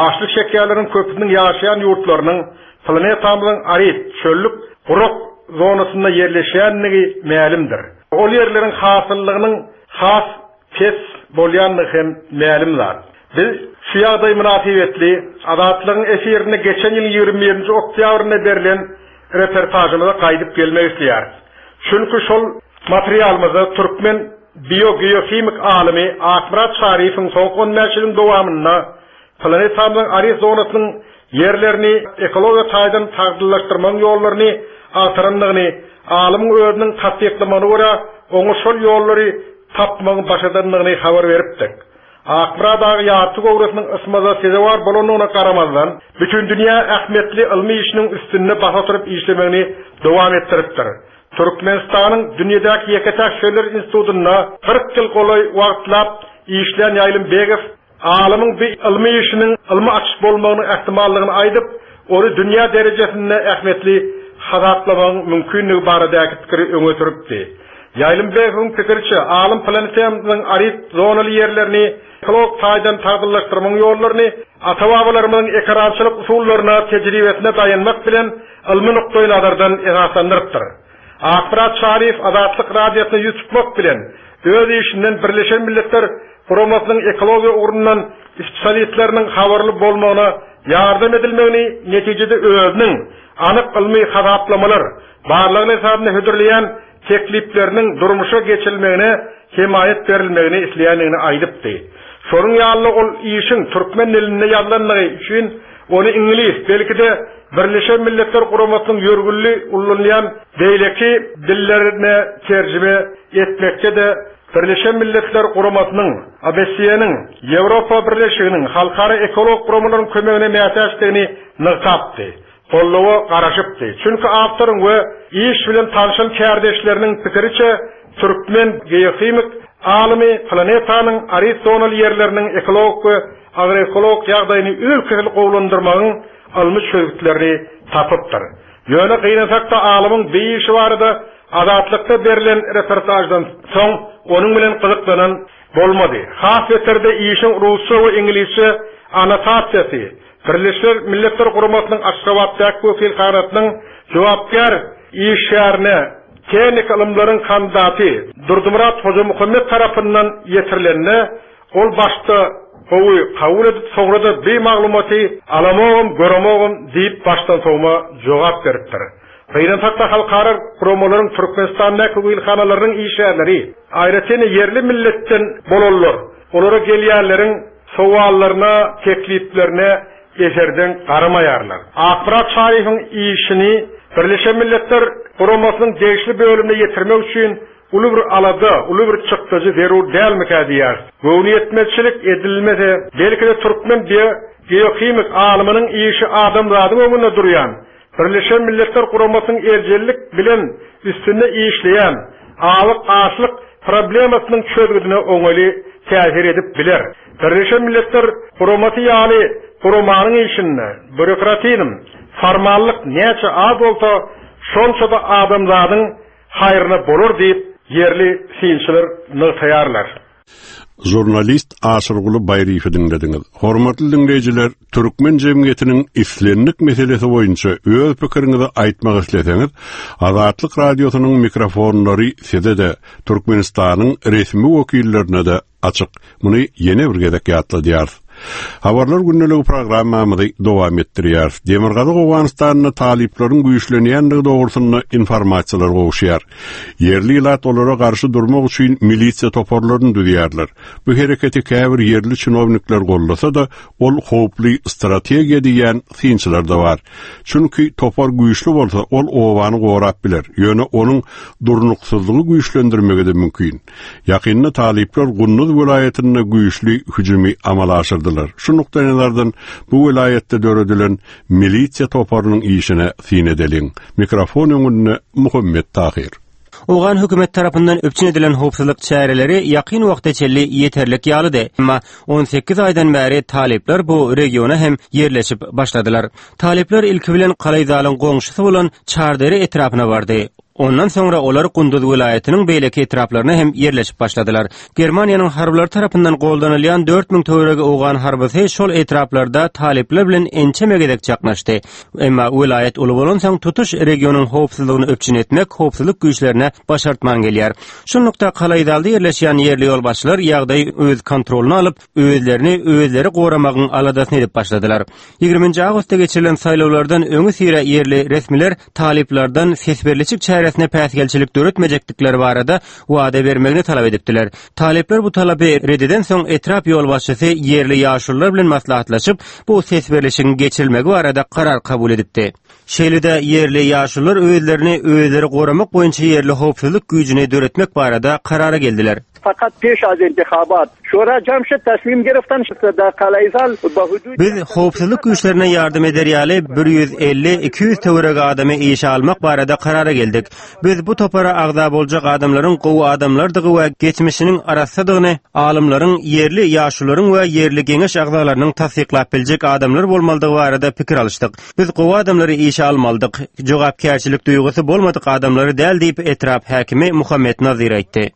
Açlyk çekýänleriň köpüsiniň ýaşaýan ýurtlarynyň planetamyzyň arid, çöllük, gurak zonasynda ýerleşýändigi mälimdir. Ol ýerleriň hasyllygynyň has pes bolýandygy hem mälim zat. Biz şu ýagdaý mynasybetli Azatlygyň efirinde geçen ýylyň 21 nji oktýabrynda berlen reportažymyza gaýdyp gelmek isleýäris. Çünki şol materialymyzda türkmen biogeohimik alymy Akmyrat Çaryýewiň soňky on bäş ýylyň dowamynda Planetamyzyň arid zonasynyň ýerlerini ekologiýa taýdan sagdynlaşdyrmagyň ýollaryny agtarandygyny, alymyň özüniň tassyklamagyna görä, oňa şol ýollary tapmagyň başardandygyny habar beripdik. Akmyrat aga ýarty göwresiniň ysmaza sezewar bolandygyna garamazdan, bütindünýä ähmiýetli ylmy işiniň üstünde basa oturyp işlemegini dowam etdiripdir. Türkmenistanyň dünýedäki ýeke-täk Şöller institutynda 40 ýyl golaý wagtlap işlän Ýaýlym Begow Alymyň bu ylmy işiniň ylmy açyş bolmagynyň ähtimallygyny aýdyp, ony dünýä derejesinde ähmiýetli hasaplamagyň mümkinligi baradaky pikiri öňe sürüpdi. Ýaýlym Begowyň pikiriçe, alym planetamyzyň arid zonaly ýerlerini ekologik taýdan sagdynlaşdyrmagyň ýollaryny ata-babalarymyzyň ekerançylyk usullaryna, tejribesine daýanmak bilen ylmy nukdaýnazardan esaslandyrypdyr. Akmyrat Çaryýew Azatlyk Radiosyna ýüz tutmak bilen, öz işinden Birleşen Milletler Guramasynyň ekologiýa ugrundan spesialistleriniň habarly bolmagyna ýardam edilmegini, netijede özüniň anyk ylmy hasaplamalar, barlaglar esasynda hödürleýän teklipleriniň durmuşa geçirilmegine hemaýat berilmegini isleýändigini aýdypdy. Şonuň ýaly-da ol işiň türkmen dilinde ýazylandygy üçin ony iňlis, belki-de Birleşen Milletler Guramasynyň ýörgünli ullanylýan beýleki dillerine terjime etmekde-de Birleşen Milletler Guramasynyň, OBSE-niň, Ýewropa Birleşiginiň, halkara ekologik guramalaryň kömegine mätäçdigini nygtapdy. Goldawa garaşypdy. Çünki awtoryň we iş bilen tanşan kärdeşleriniň pikiriçe, türkmen geohimik alymy planetanyň arid zonaly ýerleriniň ekologik we agroekologik ýagdaýyny üzül-kesil gowulandyrmagyň ylmy çözgütlerini tapypdyr. Ýöne gynansak-da alymyň bi işi barada Azatlykda berlen reportaždan soň onuň bilen gyzyklanan bolmady. Has beteri-de işiň rusça we iňlisçe annotasiýasy Birleşen Milletler Guramasynyň Aşgabatdaky wekilhanasynyň jogapkär işgärine tehniki ylymlaryň kandidaty Durdymyrat Hojamuhammet tarapyndan ýetirilende, ol başda gowy kabul edip, soňra-da bi maglumaty alamogam, göremogam diýip başdansowma jogap beripdir. Gynansak-da halkara guramalaryň Türkmenistandaky wekilhanalarynyň işgärleri, aýratyn-da ýerli milletden bolanlar, olara gelýänleriň Sowallaryna, tekliplerine eserdeň garamaýarlar. Akmyrat Çaryýewiň işini Birleşen Milletler Guramasynyň degişli bölümine ýetirmek üçin uly bir alada, uly bir çykdajy zerur dälmikä diýýäris. Göwnüýetmezçilik edilmese, belki-de türkmen biogeohimik alymynyň işi adamzadyň öňünde durýan Birleşen Milletler Guramasynyň erjellik bilen üstünde işleýän azyk-açlyk problemasynyň çözgüdine oňaýly täsir edip biler. Birleşen Milletler Guramasy ýaly guramanyň işinde býurokratizm, formallyk näçe az bolsa, şonça-da adamzadyň haýryna bolar diýip, ýerli synçylar nygtaýarlar. Žurnalist Aşyrguly Baýryýewi diňlediňiz. Hormatly diňleýjiler, türkmen jemgyýetiniň islendik meselesi boýunça öz pikiriňizi aýtmak isleseňiz, Azatlyk Radiosynyň mikrofonlary size-de, Türkmenistanyň resmi wekillerine-de açyk. Muny ýene bir gezek ýatladýarys. Habarlar gündeligi programmamyzy dowam etdirýäris. Demirgazyk Owganystanda talyplaryň güýçlenýändigi dogrusynda informasiýalar gowuşýar. Ýerli ilat olara garşy durmak üçin milisiýa toparlaryny düzýärler. Bu hereketi käbir ýerli çinownikler goldasa-da, ol howply strategiýa diýýän synçylar-da bar. Çünki topar güýçli bolsa, ol obany gorap biler, ýöne onuň durnuksyzlygy güýçlendirmegi-de mümkin. Ýakynda talyplar Gunduz welaýatynda güýçli hüjümi amala aşyrdylar. Şu nukdaýnazardan bu welaýatda döredilen milisiýa toparynyň işine syn edeliň. Mikrofon öňünde Muhammet Tahyr. Owgan hökümeti tarapyndan üpjün edilen howpsuzlyk çäreleri ýakyn wagta çenli ýeterlik ýalydy. Emma 18 aýdan bäri talyplar bu regiona hem ýerleşip başladylar. Talyplar ilki bilen Kalaýzalyň goňşusy bolan Çardere etrapyna bardy. Ondan soňra olar Gunduz welaýatynyň beýleki etraplaryna hem ýerleşip başladylar. Germaniýanyň harbylary tarapyndan goldanylýan 4000 töweregi owgan harbysy şol etraplarda talyplar bilen ençeme gezek çaknyşdy. Emma welaýat uly bolansoň tutuş regionyň howpsuzlygyny üpjün etmek howpsuzlyk güýçlerine başartman gelýär. Şunlukda Kalaýzalda ýerleşýän ýerli ýolbaşçylar ýagdaýy öz kontrolyna alyp, özlerini özleri goramagyň aladasyny edip başladylar. Ýigriminji awgustda geçirilen saýlawlardan öňüsyra ýerli resmiler talyplardan ses berlişik çäresine päsgelçilik döretmejekdikleri barada wada bermegini talap edipdiler. Talyplar bu talapy red edensoň etrap ýolbaşçysy ýerli ýaşulular bilen maslahatlaşyp, bu ses berlişigiň geçirilmegi barada karar kabul edipdi. Şeýle-de ýerli ýaşulular özlerini özleri goramak boýunça ýerli howpsuzlyk güýjüni döretmek barada karara geldiler. Fakat peş az intihabat şura jam şed tasmim giriftan dar Kalaizal be hudud Biz howpsuzlyk güýçlerine ýardam eder ýaly 150-200 töweregi adamy işe almak barada karara geldik. Biz bu topara agza boljak adamlaryň gowy adamlardygy we geçmişiniň arassadygyny alymlaryň, ýerli ýaşulularyň we ýerli geňeş agzalarynyň tassyklap biljek adamlar bolmalydygy barada pikir alyşdyk. Biz gowy adamlary işe almalydyk, jogapkärçilik duýgusy bolmadyk adamlary däl diýip, etrap häkimi Muhammet Nazir aýtdy.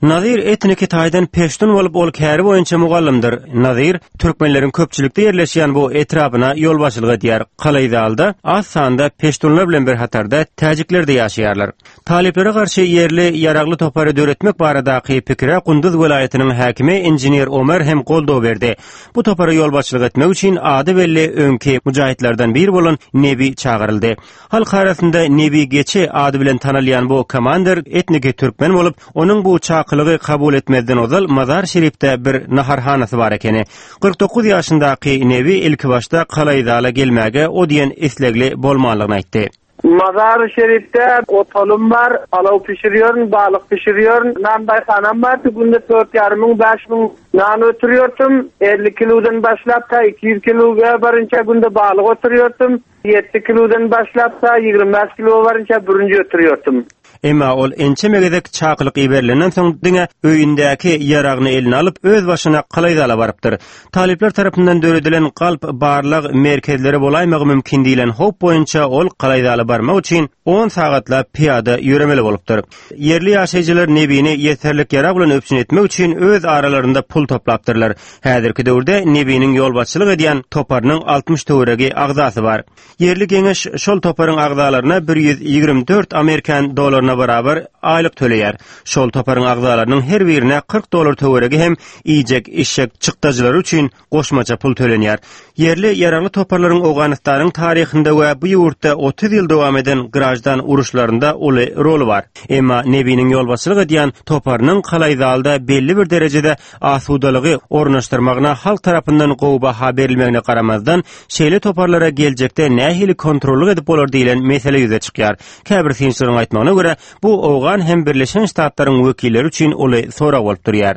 Nazir etniki taýdan peştun bolup, ol käri boýunça mugallymdyr. Nazir türkmenleriň köpçülikde ýerleşýän bu etrapyna ýolbaşçylyk edýär. Kalaýzalda az sanda peştunlar bilen bir hatarda täjikler-de ýaşaýarlar. Talyplara garşy ýerli ýaragly topary döretmek baradaky pikire Gunduz welaýatynyň häkimi inžener Omer hem goldaw berdi. Bu topara ýolbaşçylyk etmek üçin ady belli öňki mujahytlardan biri bolan Nebi çagyryldy. Halk arasynda Nebi Geçi ady bilen tanalýan bu komandir etniki türkmen bolup, onuň bu çakylygy kabul etmezden ozal Mazar-Şerifde bir naharhanasy bar ekeni. 49 ýaşyndaky Nebi ilkibaşda Kalaýzala gelmäge o diýen islegli bolmanlygyny aýtdy. Mazary-Şerifde otalym bar, palaw pişirýärin, balyk pişirýärin, nanbaýhanam bar, günde dört ýarym müň, 5000 nan ötürýärdim, 50 kilodan başlap ta 200 kiloga barynça günde balyk ötürýärdim, ýedi kilodan başlap ta 25 kilo barynça bürünç ötürýärdim. Emma ol ençeme gezek çakylyk iberilenden soň diňe öýündäki ýaragyny eline alyp, özbaşyna Kalaýzala barypdyr. Talyplar tarapyndan döredilen galp barlag merkezleri bolaýmagy mümkin diýlen howp boýunça ol Kalaýzala barmak üçin on sagatlap pyýada ýöremeli bolupdyr. Ýerli ýaşaýjylar Nebini ýeterlik ýarag bilen üpjün etmek üçin öz aralarynda pul toplapdyrlar. Häzirki döwürde Nebiniň ýolbaşçylyk edýän toparynyň 60 töweregi agzasy bar. Ýerli geňeş şol toparyň agzalaryna 124 amerikan dollaryna barabar aýlyk töleýär. Şol toparyň agzalarynyň her birine 40 dollar töweregi hem iýjek-içjek çykdajylary üçin goşmaça pul tölenýär. Ýerli ýaragly toparlaryň Owganystanyň taryhynda we bu ýurtda 30 ýyl dowam eden graždan uruşlarynda uly roly bar. Emma Nebiniň ýolbaşçylyk edýän toparynyň Kalaýzalda belli bir derejede asudalygy ornaşdyrmagyna halk tarapyndan gowy baha berilmegine garamazdan, şeýle toparlara geljekde nähili kontrollyk edip bolar diýlen mesele ýüze çykýar. Käbir synçylaryň aýtmagyna görä, bu owgan hem Birleşen Ştatlaryň wekilleri üçin uly sorag bolup durýar.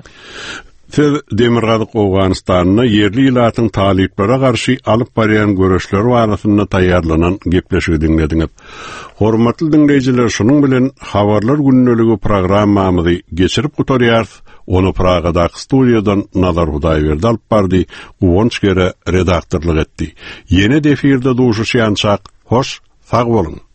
Siz Demirgazyk Owganystanda ýerli ilatyň talyplara garşy alyp barýan göreşleri barasynda taýýarlanan gepleşigi diňlediňiz. Hormatly diňleýjiler, şunuň bilen Habarlar gündeligi programmamyzy geçirip gutarýarys. Ony Pragadaky studiýadan Nazar Hudaýberdi alyp bardy, Guwanç Gere redaktorlyk etdi. Ýene-de efirde duşuşýançak, hoş, sag boluň!